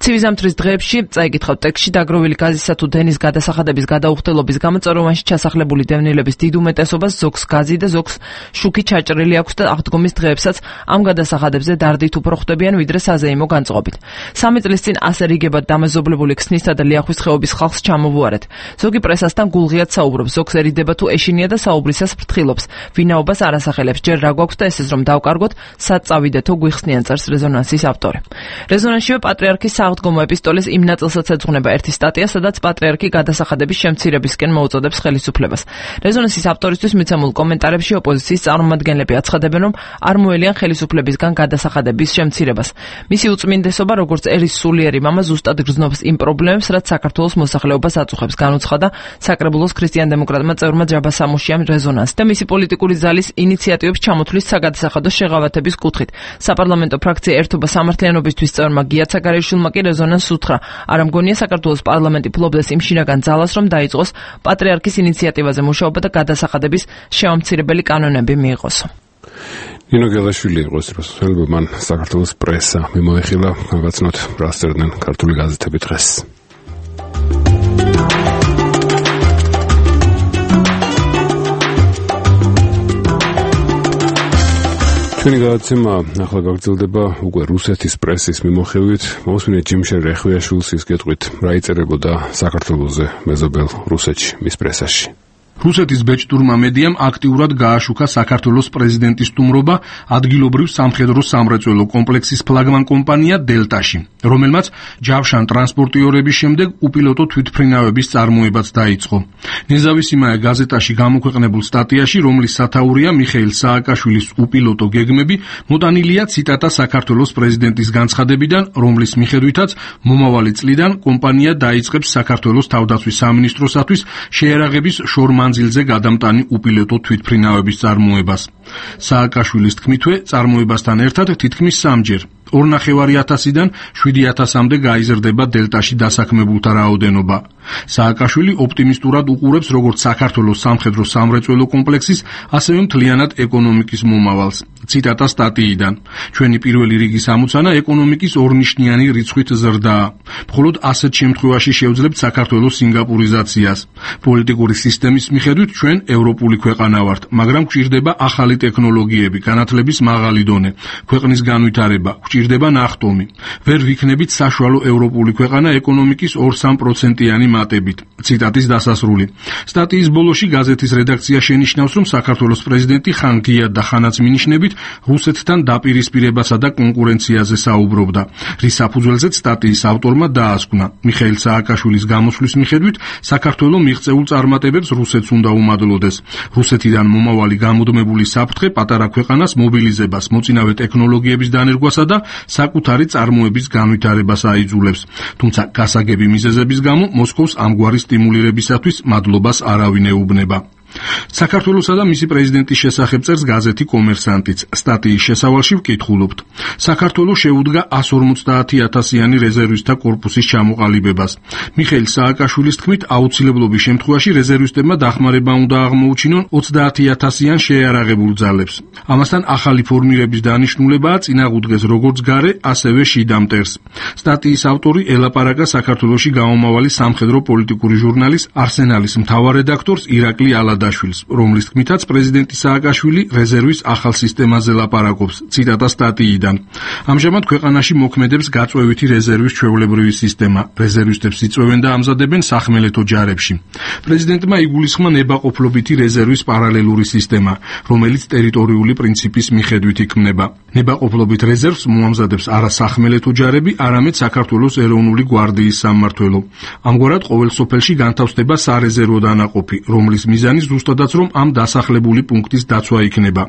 ცივი ზამთრის დღეებში წაიკითხავთ ტექსტში დაგროვილი გაზისა თუ დენის გადასახადების გადაუხდელობის გამო წეროვანში ჩასახლებული დევნილების დიდ უმეტესობას ზოგს გაზი და ზოგს შუქი ჩაჭრილი აქვს და აღდგომის დღეებსაც ამ გადასახადებზე დარდით უფრო ხვდებიან ვიდრე საზეიმო განწყობით. 3 წლის წინ ასე რიგებად დამეზობლებული ქსნისა და ლიახვის ხეობის ხალხს ჩამოვუარეთ. ზოგი პრესასთან გულღიად საუბრობს, ზოგს ერიდება თუ ეშინია და საუბრისას ფრთხილობს. ვინაობას არ ასახელებს, ჯერ რა გვაქვს და ესეც რომ დავკარგოთ, სად წავიდეთო გვიხსნიან, წერს რეზონანსის ავტორი. რეზონანსშივე პატრიარქის სააღდგომო ეპისტოლის იმ ნაწილსაც ეძღვნება ერთი სტატია, სადაც პატრიარქი გადასახადების შემცირებისკენ მოუწოდებს ხელისუფლებას. რეზონანსის ავტორისთვის მიცემულ კომენტარებში ოპოზიციის წარმომადგენლები აცხადებენ, რომ არ მოელიან ხელისუფლებისგან გადასახადების შემცირებას. მისი უწმინდესობა, როგორც ერის სულიერი მამა, ზუსტად გრძნობს იმ პრობლემებს, რაც საქართველოს მოსახლეობას აწუხებს, განუცხადა საკრებულოს ქრისტიან-დემოკრატმა წევრმა ჯაბა სამუშიამ რეზონანსს და მისი პოლიტიკური ზალის ინიციატივებს ჩამოთვლის საგადასახადო შეღავათების კუთხით. საპარლამენტო ფრაქცია ერთობა სამართლიანობისთვის წევრმა გია ცაგარეიშვილმა კი რეზონანსს უთხრა. არ მგონია საქართველოს პარლამენტი ფლობდეს იმ შინაგან ძალას, რომ დაიწყოს პატრიარქის ინიციატივაზე მუშაობა და გადასახადების შემამცირებელი კანონები მიიღოს. ნინო გელაშვილი იყო ეს რუსელბო, მან საქართველოს პრესა მიმოეხილა, გავაცნოთ რას წერდნენ ქართული გაზეთები დღეს. ჩვენი გადაცემა ახლა გაგრძელდება უკვე რუსეთის პრესის მიმოხილვით. მოსმინეთ ჯიმშერ რეხვიაშვილს ის გეტყვით, რა იწერებოდა საქართველოზე მეზობელ რუსეთში, მის პრესაში. რუსეთის ბეჭდურმა მედიამ აქტიურად გააშუქა საქართველოს პრეზიდენტის სტუმრობა ადგილობრივ სამხედრო სამრეწველო კომპლექსის ფლაგმან კომპანია დელტაში, რომელმაც ჯავშან ტრანსპორტიორების შემდეგ უპილოტო თვითმფრინავების წარმოებაც დაიწყო. ნეზავისიმაია გაზეტაში გამოქვეყნებულ სტატიაში, რომლის სათაურია მიხეილ სააკაშვილის უპილოტო გეგმები, მოტანილია ციტატა საქართველოს პრეზიდენტის განცხადებიდან, რომლის მიხედვითაც მომავალი წლიდან კომპანია დაიწყებს საქართველოს თავდაცვის სამინისტროსათვის შეერაღების მანძილზე გადამტანი უპილოტო თვითმფრინავების წარმოებას. სააკაშვილის თქმითვე, წარმოებასთან ერთად თითქმის 3-ჯერ 2,500-დან 7,000-მდე გაიზრდება დელტაში დასაქმებულთა რაოდენობა. სააკაშვილი ოპტიმისტურად უყურებს როგორც საქართველოს სამხედრო სამრეწველო კომპლექსის, ასევე მთლიანად ეკონომიკის მომავალს. ციტატა სტატიიდან. ჩვენი პირველი რიგის ამოცანა ეკონომიკის ორნიშნიანი რიცხვით ზრდაა. მხოლოდ ასეთ შემთხვევაში შევძლებთ საქართველოს სინგაპურიზაციას. პოლიტიკური სისტემის მიხედვით ჩვენ ევროპული ქვეყანა ვართ, მაგრამ გვჭირდება ახალი ტექნოლოგიები, განათლების მაღალი დონე, ქვეყნის განვითარება, გვჭირდება ნახტომი. ვერ ვიქნებით საშუალო ევროპული ქვეყანა ეკონომიკის 2-3%-იანი მატებით. ციტატის დასასრული. სტატიის ბოლოში გაზეთის რედაქცია შენიშნავს, რომ საქართველოს პრეზიდენტი ხან გიად და ხანაც მინიშნებით რუსეთთან დაპირისპირებასა და კონკურენციაზე საუბრობდა, რის საფუძველზეც სტატიის ავტორმა დაასკვნა. მიხეილ სააკაშვილის გამოსვლის მიხედვით საქართველოს მიღწეულ წარმატებებს რუსეთს უნდა უმადლოდეს. რუსეთიდან მომავალი გამუდმებული საფრთხე პატარა ქვეყანას მობილიზებას, მოწინავე ტექნოლოგიების დანერგვასა და საკუთარი წარმოების განვითარებას აიძულებს. თუმცა გასაგები მიზეზების გამო მოსკოვს ამგვარი სტიმულირებისათვის მადლობას არავინ ეუბნება. საქართველოსა და მისი პრეზიდენტის შესახებ წერს გაზეთი კომერსანტიც. სტატიის შესავალში ვკითხულობთ. საქართველოს შეუდგა 150,000-იანი რეზერვისტთა კორპუსის ჩამოყალიბებას. მიხეილ სააკაშვილის თქმით, აუცილებლობის შემთხვევაში რეზერვისტებმა დახმარება უნდა აღმოუჩინონ 30,000-იან შეიარაღებულ ძალებს. ამასთან ახალი ფორმირების დანიშნულებაა წინაღუდგეს როგორც გარე, ასევე შიდა მტერს. სტატიის ავტორი ელაპარაკა საქართველოში გამომავალი სამხედრო პოლიტიკური ჟურნალის არსენალის მთავარ რედაქტორს ირაკლი ალადაშვილს, მირზიაშვილს, რომლის თქმითაც პრეზიდენტი სააკაშვილი რეზერვის ახალ სისტემაზე ლაპარაკობს. ციტატა სტატიიდან. ამჟამად ქვეყანაში მოქმედებს გაწვევითი რეზერვის ჩვეულებრივი სისტემა. რეზერვისტებს იწვევენ და ამზადებენ სახმელეთო ჯარებში. პრეზიდენტმა იგულისხმა ნებაყოფლობითი რეზერვის პარალელური სისტემა, რომელიც ტერიტორიული პრინციპის მიხედვით იქმნება. ნებაყოფლობით რეზერვს მოამზადებს არა სახმელეთო ჯარები, არამედ საქართველოს ეროვნული გვარდიის სამმართველო. ამგვარად ყოველ სოფელში განთავსდება სარეზერვო დანაყოფი, რომლის მიზანი ზუსტადაც რომ ამ დასახლებული პუნქტის დაცვა იქნება.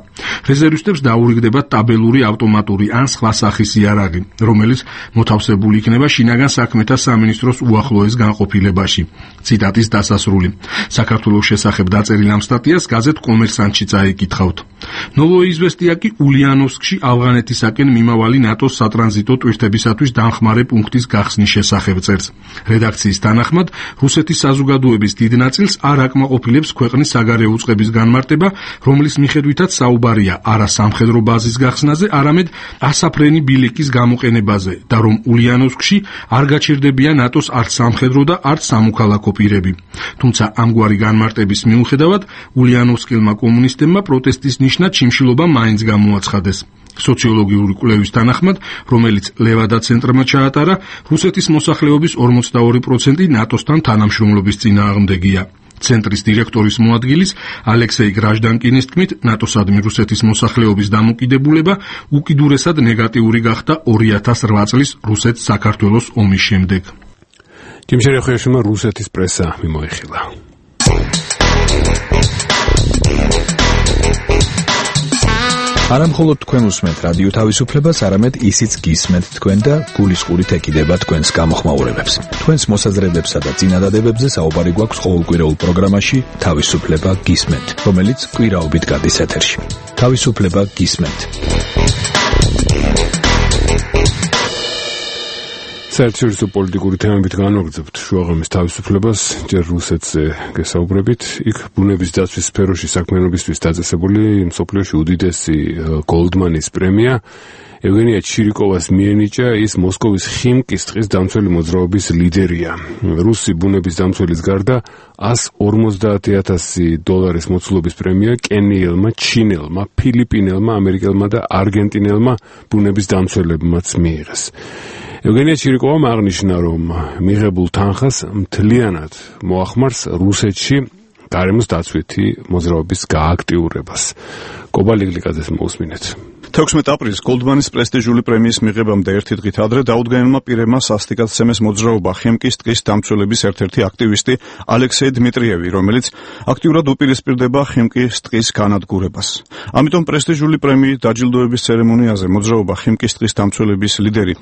რეზერვისტებს დაურიგდებათ ტაბელური ავტომატური ან სხვა სახის იარაღი, რომელიც მოთავსებული იქნება შინაგან საქმეთა სამინისტროს უახლოეს განყოფილებაში. ციტატის დასასრული. საქართველოს შესახებ დაწერილ ამ სტატიას გაზეთ კომერსანტში წაიკითხავთ. ნოვოიზვესტია კი ულიანოვსკში ავღანეთისაკენ მიმავალი ნატოს სატრანზიტო ტვირთებისათვის დამხმარე პუნქტის გახსნის შესახებ წერს. რედაქციის თანახმად, რუსეთის საზოგადოების დიდ ნაწილს არ აკმაყოფილებს ქვეყნის საგარეო უწყების განმარტება, რომლის მიხედვითაც საუბარია არა სამხედრო ბაზის გახსნაზე, არამედ ასაფრენი ბილიკის გამოყენებაზე და რომ ულიანოვსკში არ გაჩერდებიან ნატოს არც სამხედრო და არც სამოქალაქო პირები. თუმცა ამგვარი განმარტების მიუხედავად, ულიანოვსკილმა კომუნისტებმა პროტესტის ნიშნად შიმშილობა მაინც გამოაცხადეს. სოციოლოგიური კვლევის თანახმად, რომელიც ლევადა ცენტრმა ჩაატარა, რუსეთის მოსახლეობის 42% ნატოსთან თანამშრომლობის წინააღმდეგია. ცენტრის დირექტორის მოადგილის ალექსეი გრაჟდანკინის თქმით, ნატოსადმი რუსეთის მოსახლეობის დამოკიდებულება უკიდურესად ნეგატიური გახდა 2008 წლის რუსეთ-საქართველოს ომის შემდეგ. ჯიმშერეხეშმა რუსეთის პრესა მიმოიხილა. არა მხოლოდ თქვენ უსმენთ რადიო თავისუფლებას, არამედ ისიც გისმენთ თქვენ და გულისყურით ეკიდება თქვენს გამოხმაურებებს. თქვენს მოსაზრებებსა და წინადადებებზე საუბარი გვაქვს ყოველკვირეულ პროგრამაში თავისუფლება გისმენთ, რომელიც კვირაობით გადის ეთერში. თავისუფლება გისმენთ. საერთაშორისო პოლიტიკური თემებით განვაგრძობთ შუაღამის თავისუფლებას, ჯერ რუსეთზე გესაუბრებით. იქ ბუნების დაცვის სფეროში საქმიანობისთვის დაწესებული მსოფლიოში უდიდესი გოლდმანის პრემია ევგენია ჩირიკოვას მიენიჭა, ის მოსკოვის ხიმკის ტყის დამცველი მოძრაობის ლიდერია. რუსი ბუნების დამცველის გარდა $150,000 მოცულობის პრემია კენიელმა, ჩინელმა, ფილიპინელმა, ამერიკელმა და არგენტინელმა ბუნების დამცველებმაც მიიღეს. ევგენია ჩირიკოვამ აღნიშნა, რომ მიღებულ თანხას მთლიანად მოახმარს რუსეთში გარემოს დაცვითი მოძრაობის გააქტიურებას. კობა ლიგლიკაძეს მოусმინეთ. 16 აპრილს გოლდმანის პრესტიჟული პრემიის მიღებამდე ერთი დღით ადრე დაუდგენელმა პირებმა სასტიკად მოძრაობა ხიმკის ტყის დამცველების ერთ-ერთი აქტივისტი ალექსეი დმიტრიევი, რომელიც აქტიურად უპირისპირდება ხიმკის ტყის განადგურებას. ამიტომ პრესტიჟული პრემიით დაჯილდოების ცერემონიაზე მოძრაობა ხიმკის ტყის დამცველების ლიდერი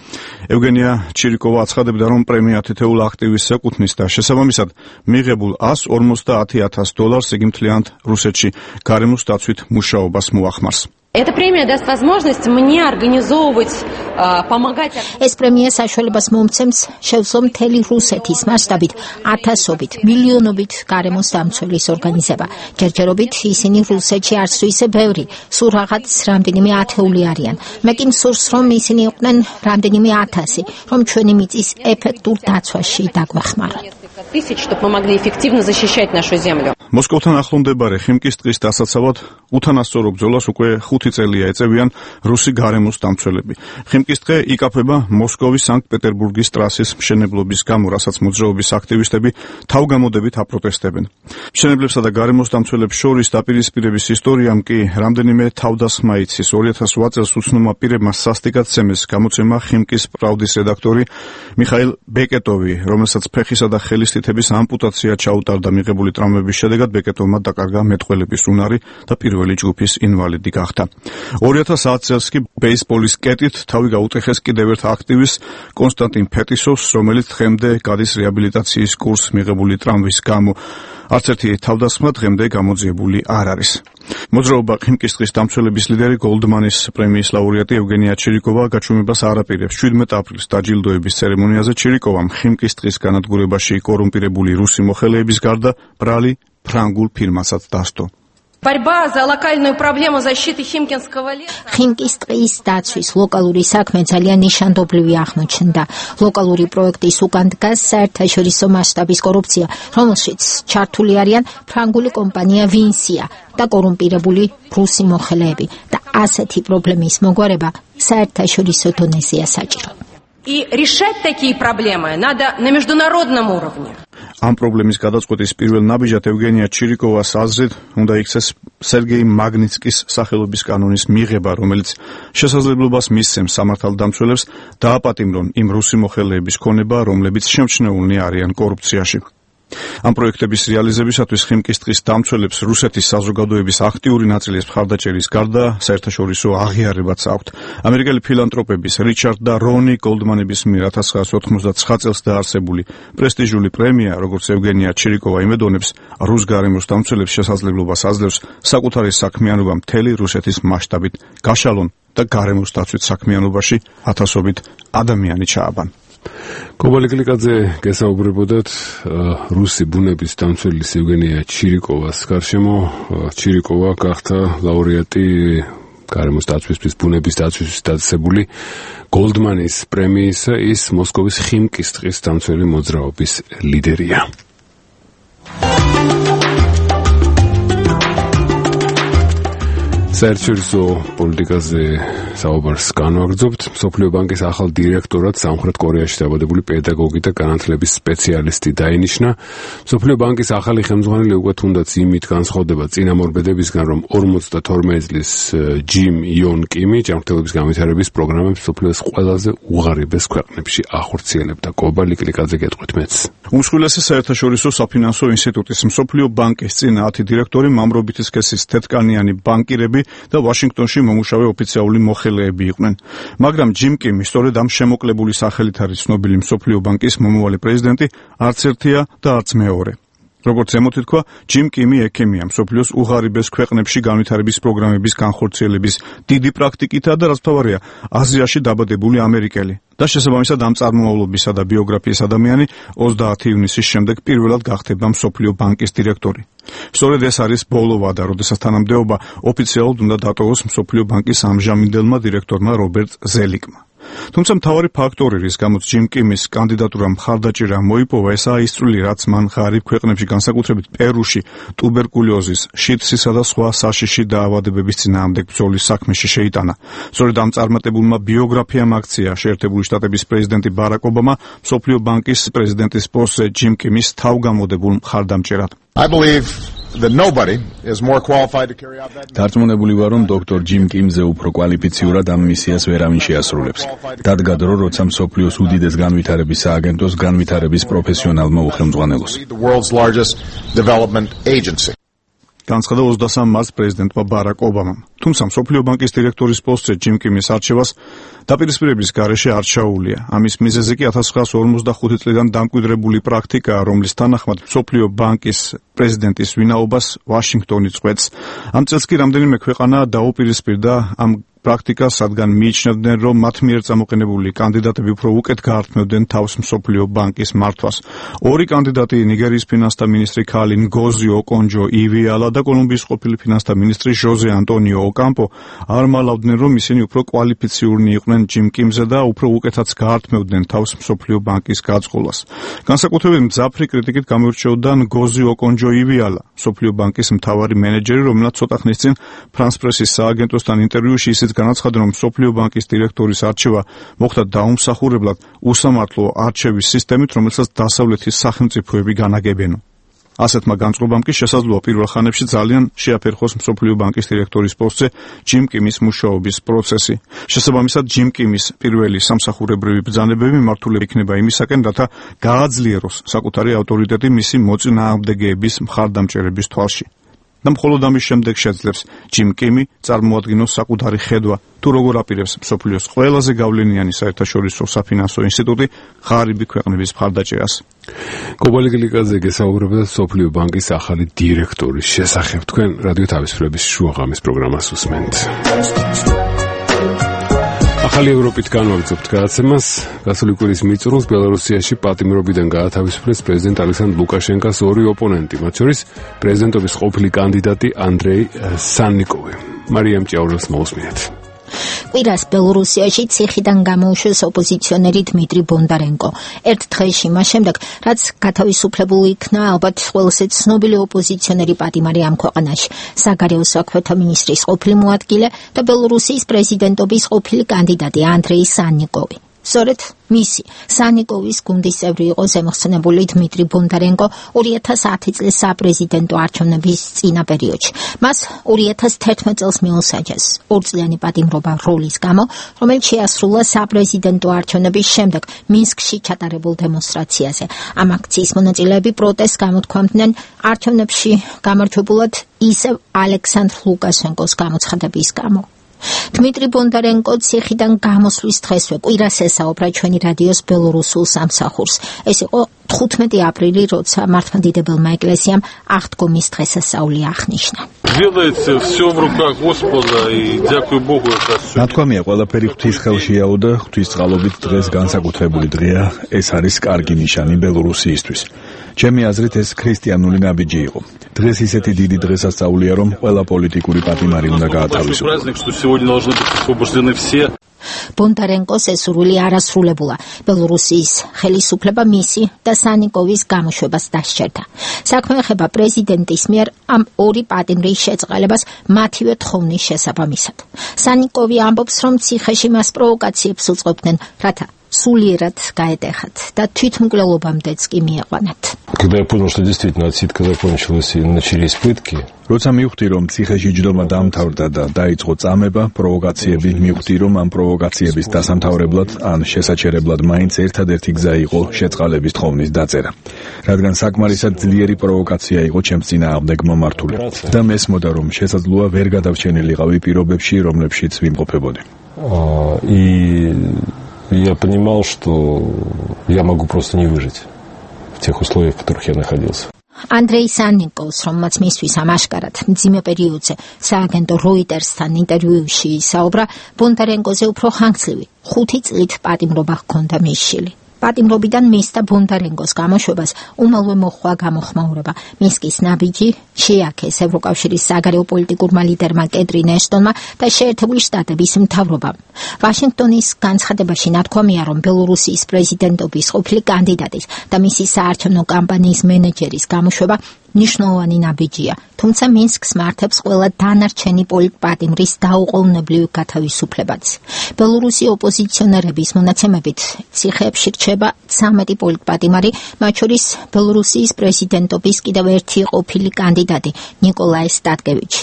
ევგენია ჩირიკოვა აცხადებდა, რომ პრემია თითოეულ აქტივისტს ეკუთვნის და შესაბამისად მიღებულ $150,000 იგი მთლიანად რუსეთში გარემოს დაცვით მუშაობას მოახმარს. Эта премия даст возможность мне организовывать, помогать. ეს პრემია საშუალებას მომცემს შევძლო მთელი რუსეთის მასშტაბით, ათასობით, მილიონობით გარემოს დამცველის ორგანიზება. ჯერჯერობით ისინი რუსეთში არც თუ ისე ბევრი, სულ რაღაც რამდენიმე ათეული არიან. მე კი მსურს, რომ ისინი იყვნენ რამდენიმე ათასი, რომ ჩვენი მიწის ეფექტურ დაცვაში დაგვეხმაროთ. Тысяч, чтобы мы могли эффективно защищать нашу землю. მოსკოვთან ახლომდებარე ხიმკის ტყის დასაცავად უთანასწორო ბრძოლას უკვე 5 წელია ეწევიან რუსი გარემოს დამცველები. ხიმკის ტყე იკაფება მოსკოვის სანქტ-პეტერბურგის ტრასის მშენებლობის გამო, რასაც მოძრაობის აქტივისტები თავგამოდებით აპროტესტებენ. მშენებლებსა და გარემოს დამცველებს შორის დაპირისპირების ისტორიამ კი რამდენიმე თავდასხმა იცის. 2008 წელს უცნობმა პირებმა სასტიკად ცემეს გამოცემა ხიმკის პრავდის რედაქტორი მიხაილ ბეკეტოვი, რომელსაც ფეხისა და ხელის თითების ამპუტაცია ჩაუტარდა მიღებული ტრამვების შედეგად ბეკეტოვმა დაკარგა მეტყველების უნარი და პირველი ჯგუფის ინვალიდი გახდა. 2010 წელს კი ბეისბოლის კეტით თავი გაუტეხეს კიდევ ერთ აქტივისტს კონსტანტინ ფეტისოვს, რომელიც დღემდე გადის რეაბილიტაციის კურსს მიღებული ტრამვის გამო. არც ერთი თავდასხმა დღემდე გამოძიებული არ არის. მოძრაობა ხიმკის ტყის დამცველების ლიდერი გოლდმანის პრემიის ლაურეატი ევგენია ჩირიკოვა გაჩვენებას არ აპირებს. 17 აპრილს დაჯილდოების ცერემონიაზე ჩირიკოვამ ხიმკის ტყის განადგურებაში კორუმპირებული რუსი მოხელეების გარდა ბრალი ფრანგულ ფირმასაც დასდო. Борьба за локальную проблему защиты Химкинского леса. ხიმკის ტყის დაცვის ლოკალური საქმე ძალიან ნიშანდობლივი აღმოჩნდა. ლოკალური პროექტის უკან დგას საერთაშორისო მასშტაბის კორუფცია, რომელშიც ჩართული არიან ფრანგული კომპანია ვინსია და კორუმპირებული რუსი მოხელეები და ასეთი პრობლემის მოგვარება საერთაშორისო დონეზეა საჭირო. И решать такие проблемы надо на международном уровне. ამ პრობლემის გადაწყვეტის პირველ ნაბიჯად ევგენია ჩირიკოვას აზრით უნდა იქცეს სერგეი მაგნიცკის სახელობის კანონის მიღება, რომელიც შესაძლებლობას მისცემს სამართალდამცველებს დააპატიმრონ იმ რუსი მოხელეების ქონება, რომლებიც შემჩნეულნი არიან კორუფციაში. ამ პროექტების რეალიზებისათვის ხიმკის ტყის დამცველებს რუსეთის საზოგადოების აქტიური ნაწილის მხარდაჭერის გარდა საერთაშორისო აღიარებაც აქვთ. ამერიკელი ფილანტროპების რიჩარდ და რონი გოლდმანების მიერ 1999 წელს დაარსებული პრესტიჟული პრემია, როგორც ევგენია ჩირიკოვა იმედონებს, რუს გარემოს დამცველებს შესაძლებლობას აძლევს საკუთარი საქმიანობა მთელი რუსეთის მასშტაბით გაშალონ და გარემოს დაცვით საქმიანობაში ათასობით ადამიანი ჩააბან. კობალიკლიკაძე გესაუბრებოდათ რუსი ბუნების დამცველის ევგენია ჩირიკოვას გარშემო. ჩირიკოვა გახდა ლაურეატი გარემოს დაცვისთვის, ბუნების დაცვისთვის დაწესებული გოლდმანის პრემიისა. ის მოსკოვის ხიმკის ტყის დამცველი მოძრაობის ლიდერია. საერთაშორისო პოლიტიკაზე საუბარს განვაგრძობთ. მსოფლიო ბანკის ახალ დირექტორად სამხრეთ კორეაში დაბადებული პედაგოგი და განათლების სპეციალისტი დაინიშნა. მსოფლიო ბანკის ახალი ხელმძღვანელი უკვე თუნდაც იმით განსხვავდება წინამორბედებისგან, რომ 52 წლის ჯიმ იონ კიმი ჯანმრთელობის განვითარების პროგრამებს მსოფლიოს ყველაზე უღარიბეს ქვეყნებში ახორციელებდა. კობალიკლიკაძე გეტყვით მეც. უმსხვილესი საერთაშორისო საფინანსო ინსტიტუტის მსოფლიო ბანკის წინა 10 დირექტორი მამრობითი სქესის თეთრკანიანი ბანკირები და ვაშინგტონში მომუშავე ოფიციალური მოხელეები იყვნენ. მაგრამ ჯიმ კიმი სწორედ ამ შემოკლებული სახელით არის ცნობილი მსოფლიო ბანკის მომავალი პრეზიდენტი, არც ერთია და არც მეორე. როგორც ზემოთი თქვა, ჯიმ კიმი ექიმია მსოფლიოს უღარიბეს ქვეყნებში განვითარების პროგრამების განხორციელების დიდი პრაქტიკითა და რაც თავარია, აზიაში დაბადებული ამერიკელი. და შესაბამისად ამ წარმომავლობისა და ბიოგრაფიის ადამიანი 30 ივნისის შემდეგ პირველად გახდება მსოფლიო ბანკის დირექტორი. სწორედ ეს არის ბოლო ვადა, როდესაც თანამდებობა ოფიციალურად უნდა დატოვოს მსოფლიო ბანკის ამჟამინდელმა დირექტორმა რობერტ ზელიკმა. თუმცა მთავარი ფაქტორი, რის გამოც ჯიმ კიმის კანდიდატურა მხარდაჭერა მოიპოვა, ესაა ის წვლილი, რაც მან ღარიბ ქვეყნებში, განსაკუთრებით პერუში, ტუბერკულოზის, შიდსისა და სხვა საშიში დაავადებების წინააღმდეგ ბრძოლის საქმეში შეიტანა. სწორედ ამ წარმატებულმა ბიოგრაფიამ აქცია შეერთებული შტატების პრეზიდენტი ბარაკ ობამა მსოფლიო ბანკის პრეზიდენტის პოსტზე ჯიმ კიმის თავგამოდებულ მხარდამჭერად. დარწმუნებული ვარ, რომ დოქტორ ჯიმ კიმზე უფრო კვალიფიციურად ამ მისიას ვერავინ შეასრულებს. დადგა დრო, როცა მსოფლიოს უდიდეს განვითარების სააგენტოს განვითარების პროფესიონალმა უხელმძღვანელოს. განცხადა 23 მარტს პრეზიდენტმა ბარაკ ობამამ. თუმცა მსოფლიო ბანკის დირექტორის პოსტზე ჯიმ კიმის არჩევას დაპირისპირების გარეშე არ ჩაუვლია. ამის მიზეზი კი 1945 წლიდან დამკვიდრებული პრაქტიკაა, რომლის თანახმად მსოფლიო ბანკის პრეზიდენტის ვინაობას ვაშინგტონი წყვეტს. ამ წელს კი რამდენიმე ქვეყანა დაუპირისპირდა ამ პრაქტიკას, რადგან მიიჩნევდნენ, რომ მათ მიერ წამოყენებული კანდიდატები უფრო უკეთ გაართმევდნენ თავს მსოფლიო ბანკის მართვას. ორი კანდიდატი, ნიგერიის ფინანსთა მინისტრი ქალი ნგოზი ოკონჯო ივიალა და კოლუმბიის ყოფილი ფინანსთა მინისტრი ჟოზე ანტონიო ოკამპო არ მალავდნენ, რომ ისინი უფრო კვალიფიციურნი იყვნენ ჯიმ კიმზე და უფრო უკეთაც გაართმევდნენ თავს მსოფლიო ბანკის გაწყობას. განსაკუთრებით მძაფრი კრიტიკით გამოირჩეოდა ნგოზი ოკონჯო ივიალა, მსოფლიო ბანკის მთავარი მენეჯერი, რომელსაც ცოტა ხნის წინ ფრანს პრესის სააგენტოსთან ინტერვიუში ისიც განაცხადა, რომ მსოფლიო ბანკის დირექტორის არჩევა მოხდა დაუმსახურებლად უსამართლო არჩევის სისტემით, რომელსაც დასავლეთის სახელმწიფოები განაგებენ. ასეთმა განწყობამ კი შესაძლოა პირველ ხანებში ძალიან შეაფერხოს მსოფლიო ბანკის დირექტორის პოსტზე ჯიმ კიმის მუშაობის პროცესი. შესაბამისად, ჯიმ კიმის პირველი სამსახურებრივი ბრძანებები მართული იქნება იმისაკენ, რათა გააძლიეროს საკუთარი ავტორიტეტი მისი მოწინააღმდეგეების მხარდამჭერების თვალში. და მხოლოდ ამის შემდეგ შეძლებს ჯიმ კიმი წარმოადგინოს საკუთარი ხედვა, თუ როგორ აპირებს მსოფლიოს ყველაზე გავლენიანი საერთაშორისო საფინანსო ინსტიტუტი ღარიბი ქვეყნების მხარდაჭერას. კობალიკლიკაძე გესაუბრებოდა მსოფლიო ბანკის ახალი დირექტორის შესახებ. თქვენ რადიო თავისუფლების შუაღამის პროგრამას უსმენთ. ახალი ევროპით განვაგრძობთ გადაცემას. გასული კვირის მიწურულს ბელარუსიაში პატიმრობიდან გაათავისუფლეს პრეზიდენტ ალექსანდრ ლუკაშენკოს ორი ოპონენტი, მათ შორის პრეზიდენტობის ყოფილი კანდიდატი ანდრეი სანნიკოვი. მარიამ ჭიაურას მოусმინეთ. კვირას ბელორუსიაში ციხიდან გამოუშვეს ოპოზიციონერი დმიტრი ბონდარენკო. ერთ დღეში მას შემდეგ, რაც გათავისუფლებული იქნა ალბათ ყველაზე ცნობილი ოპოზიციონერი პატიმარი ამ ქვეყანაში, საგარეო საქმეთა მინისტრის ყოფილი მოადგილე და ბელორუსიის პრეზიდენტობის ყოფილი კანდიდატი ანდრეი სანნიკოვი. სწორედ მისი სანიკოვის გუნდის წევრი იყო ზემოხსენებული დმიტრი ბონდარენკო 2010 წლის საპრეზიდენტო არჩევნების წინა პერიოდში. მას 2011 წელს მიუსაჯეს ორწლიანი პატიმრობა როლის გამო, რომელიც შეასრულა საპრეზიდენტო არჩევნების შემდეგ მინსკში ჩატარებულ დემონსტრაციაზე. ამ აქციის მონაწილეები პროტესტს გამოთქვამდნენ არჩევნებში გამარჯვებულად ისევ ალექსანდრ ლუკაშენკოს გამოცხადების გამო. დმიტრი ბონდარენკო ციხიდან გამოსვლის დღესვე კვირას ესაუბრა ჩვენი რადიოს ბელორუსულ სამსახურს. ეს იყო 15 აპრილი, როცა მართლმადიდებელმა ეკლესიამ აღდგომის დღესასწაული აღნიშნა. ნათქვამია, ყველაფერი ღვთის ხელშიაო და ღვთის წყალობით დღეს განსაკუთრებული დღეა. ეს არის კარგი ნიშანი ბელორუსიისთვის. ჩემი აზრით ეს ქრისტიანული ნაბიჯი იყო. დღეს ისეთი დიდი დღესასწაულია, რომ ყველა პოლიტიკური პატიმარი უნდა გაათავისუფლოს. ბონდარენკოს ესურვილი არასრულებულა. ბელორუსიის ხელისუფლება მისი და სანიკოვის გამოშვებას დასჯერდა. საქმე ეხება პრეზიდენტის მიერ ამ ორი პატიმრის შეწყალებას მათივე თხოვნის შესაბამისად. სანიკოვი ამბობს, რომ ციხეში მას პროვოკაციებს უწყობდნენ, რათა სულიერად გაეტეხათ და თვითმკვლელობამდეც კი მieყვანათ. Когда я понял, что действительно отсидка закончилась и начались пытки, როცა მივხვდი, რომ ციხეში ჯდომა დამთავრდა და დაიწყო წამება, პროვოკაციები, მივხვდი, რომ ამ პროვოკაციების დასამთავრებლად ან შესაჩერებლად მაინც ერთადერთი გზა იყო შეწყალების თხოვნის დაწერა. რადგან საკმარისად ძლიერი პროვოკაცია იყო ჩემს წინააღმდეგ მომართული და მესმოდა, რომ შესაძლოა ვერ გადარჩენილიყავი პირობებში, რომლებშიც ვიმყოფებოდი. Я понимал, что я могу просто не выжить в тех условиях, в которых я находился. ანდრეი სანნიკოვს, რომელმაც მისთვის ამაშკარად მძიმე პერიოდზე სააგენტო როიტერსთან ინტერვიუში ისაუბრა, ბონდარენკოზე უფრო ხანგრძლივი 5 წლით პატიმრობა ჰქონდა მისშილი. პატიმრობიდან მის და ბონდარენკოს გამოშვებას უმალვე მოჰყვა გამოხმაურება. მინსკის ნაბიჯი შეაქეს ევროკავშირის საგარეო პოლიტიკურმა ლიდერმა კეტრინ ეშტონმა და შეერთებული შტატების მთავრობამ. ვაშინგტონის განცხადებაში ნათქვამია, რომ ბელორუსიის პრეზიდენტობის ყოფილი კანდიდატის და მისი საარჩევნო კამპანიის მენეჯერის გამოშვება ნიშნულოვანი ნაბიჯია, თუმცა მინსკს მართებს ყველა დანარჩენი პოლიტპატიმრის დაუყოვნებლივ გათავისუფლებაც. ბელორუსი ოპოზიციონერების მონაცემებით ციხეებში რჩება 13 პოლიტპატიმარი, მათ შორის ბელორუსიის პრეზიდენტობის კიდევ ერთი ყოფილი კანდიდატი ნიკოლაი სტატკევიჩი.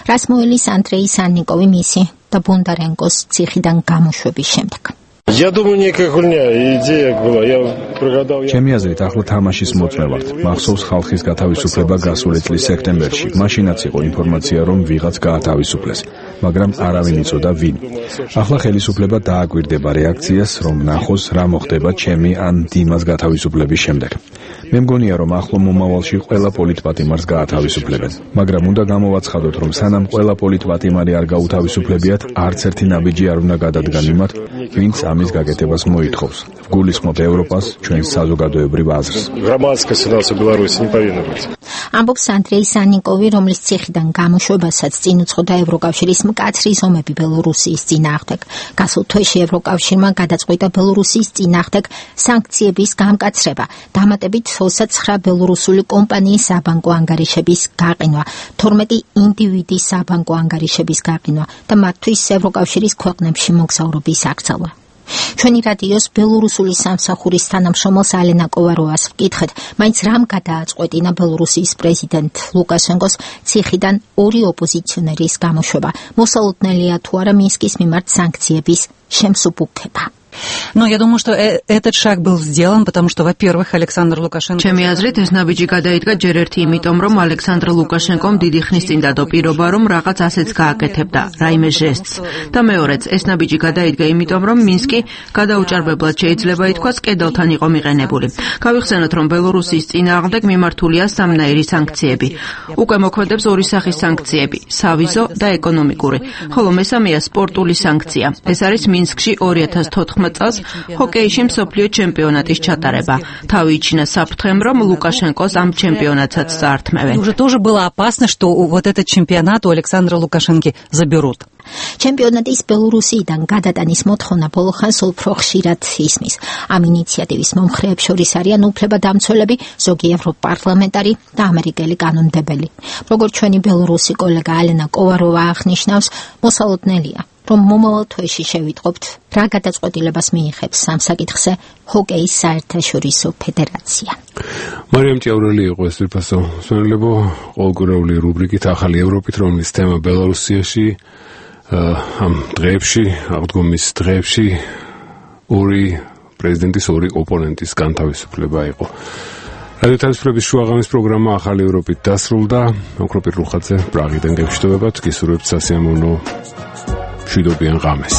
რას მოელის ანდრეი სანნიკოვი მისი და ბონდარენკოს ციხიდან გამოშვების შემდეგ. Я думаю, некая хуйня, идея была. Я прогадал. ჩემი აზრით, ახლა თამაშის მოწმე ვართ. მახსოვს ხალხის გათავისუფლება გასული წლის სექტემბერში. მაშინაც იყო ინფორმაცია, რომ ვიღაც გაათავისუფლეს, მაგრამ არავინ იცოდა ვინ. ახლა ხელისუფლება დააკვირდება რეაქციას, რომ ნახოს რა მოხდება ჩემი ან დიმას გათავისუფლების შემდეგ. მე მგონია, რომ ახლო მომავალში ყველა პოლიტპატიმარს გაათავისუფლებენ, მაგრამ უნდა გამოვაცხადოთ, რომ სანამ ყველა პოლიტპატიმარი არ გაუთავისუფლებიათ, არც ერთი ნაბიჯი არ უნდა გადადგან იმათ, ვინც ამის გაკეთებას მოითხოვს. ვგულისხმობ ევროპას, ჩვენს საზოგადოებრივ აზრს. Громадская ситуация в Беларуси не повинна быть. ამბობს ანდრეი სანნიკოვი, რომლის ციხიდან გამოშვებასაც წინ უძღოდა ევროკავშირის მკაცრი ზომები ბელორუსიის წინააღმდეგ. გასულ თვეში ევროკავშირმა გადაწყვიტა ბელორუსიის წინააღმდეგ სანქციების გამკაცრება, დამატებით 29 ბელორუსული კომპანიის საბანკო ანგარიშების გაყინვა, 12 ინდივიდის საბანკო ანგარიშების გაყინვა და მათთვის ევროკავშირის ქვეყნებში მოგზაურობის აკრძალვა. ჩვენი რადიოს ბელორუსული სამსახურის თანამშრომელს ალენა კოვაროვას ვკითხეთ, მაინც რამ გადააწყვეტინა ბელორუსიის პრეზიდენტ ლუკაშენკოს ციხიდან ორი ოპოზიციონერის გამოშვება. მოსალოდნელია თუ არა მინსკის მიმართ სანქციების შემსუბუქება. Но я думаю, что этот шаг был сделан, потому что, во-первых, Александр Лукашенко... ჩემი აზრით, ეს ნაბიჯი გადაიდგა ჯერ ერთი იმიტომ, რომ ალექსანდრ ლუკაშენკომ დიდი ხნის წინ დადო პირობა, რომ რაღაც ასეც გააკეთებდა, რაიმე ჟესტს. და მეორეც, ეს ნაბიჯი გადაიდგა იმიტომ, რომ მინსკი გადაუჭარბებლად შეიძლება ითქვას, კედელთან იყო მიყენებული. გავიხსენოთ, რომ ბელორუსიის წინააღმდეგ მიმართულია სამნაირი სანქციები. უკვე მოქმედებს ორი სახის სანქციები, სავიზო და ეკონომიკური, ხოლო მესამეა სპორტული სანქცია. ეს არის მინსკში 2014 წელს ჰოკეიში მსოფლიო ჩემპიონატის ჩატარება. თავი იჩინა საფრთხემ, რომ ლუკაშენკოს ამ ჩემპიონატსაც წაართმევენ. Уже тоже было опасно, что вот этот чемпионат у Александра Лукашенко заберут. ჩემპიონატის ბელორუსიიდან გადატანის მოთხოვნა ბოლო ხანს უფრო ხშირად ისმის. ამ ინიციატივის მომხრეებს შორის არიან უფლებადამცველები, ზოგი ევროპარლამენტარი და ამერიკელი კანონმდებელი. როგორც ჩვენი ბელორუსი კოლეგა ალენა კოვაროვა აღნიშნავს, მოსალოდნელია, რომ მომავალ თვეში შევიტყობთ, რა გადაწყვეტილებას მიიღებს ამ საკითხზე ჰოკეის საერთაშორისო ფედერაცია. მარიამ ჭიაურელი იყო ეს თვითფასო მსმენელებო, ყოველკვირეული რუბრიკით ახალი ევროპით, რომლის თემა ბელორუსიაში ამ დღეებში, აღდგომის დღეებში ორი პრეზიდენტის ორი ოპონენტის განთავისუფლება იყო. რადიო თავისუფლების შუაღამის პროგრამა ახალი ევროპით დასრულდა. ოქროპირ რუხაძე პრაღიდან გეშტობებათ, გისურვებთ სასიამოვნო მშვიდობიან ღამეს.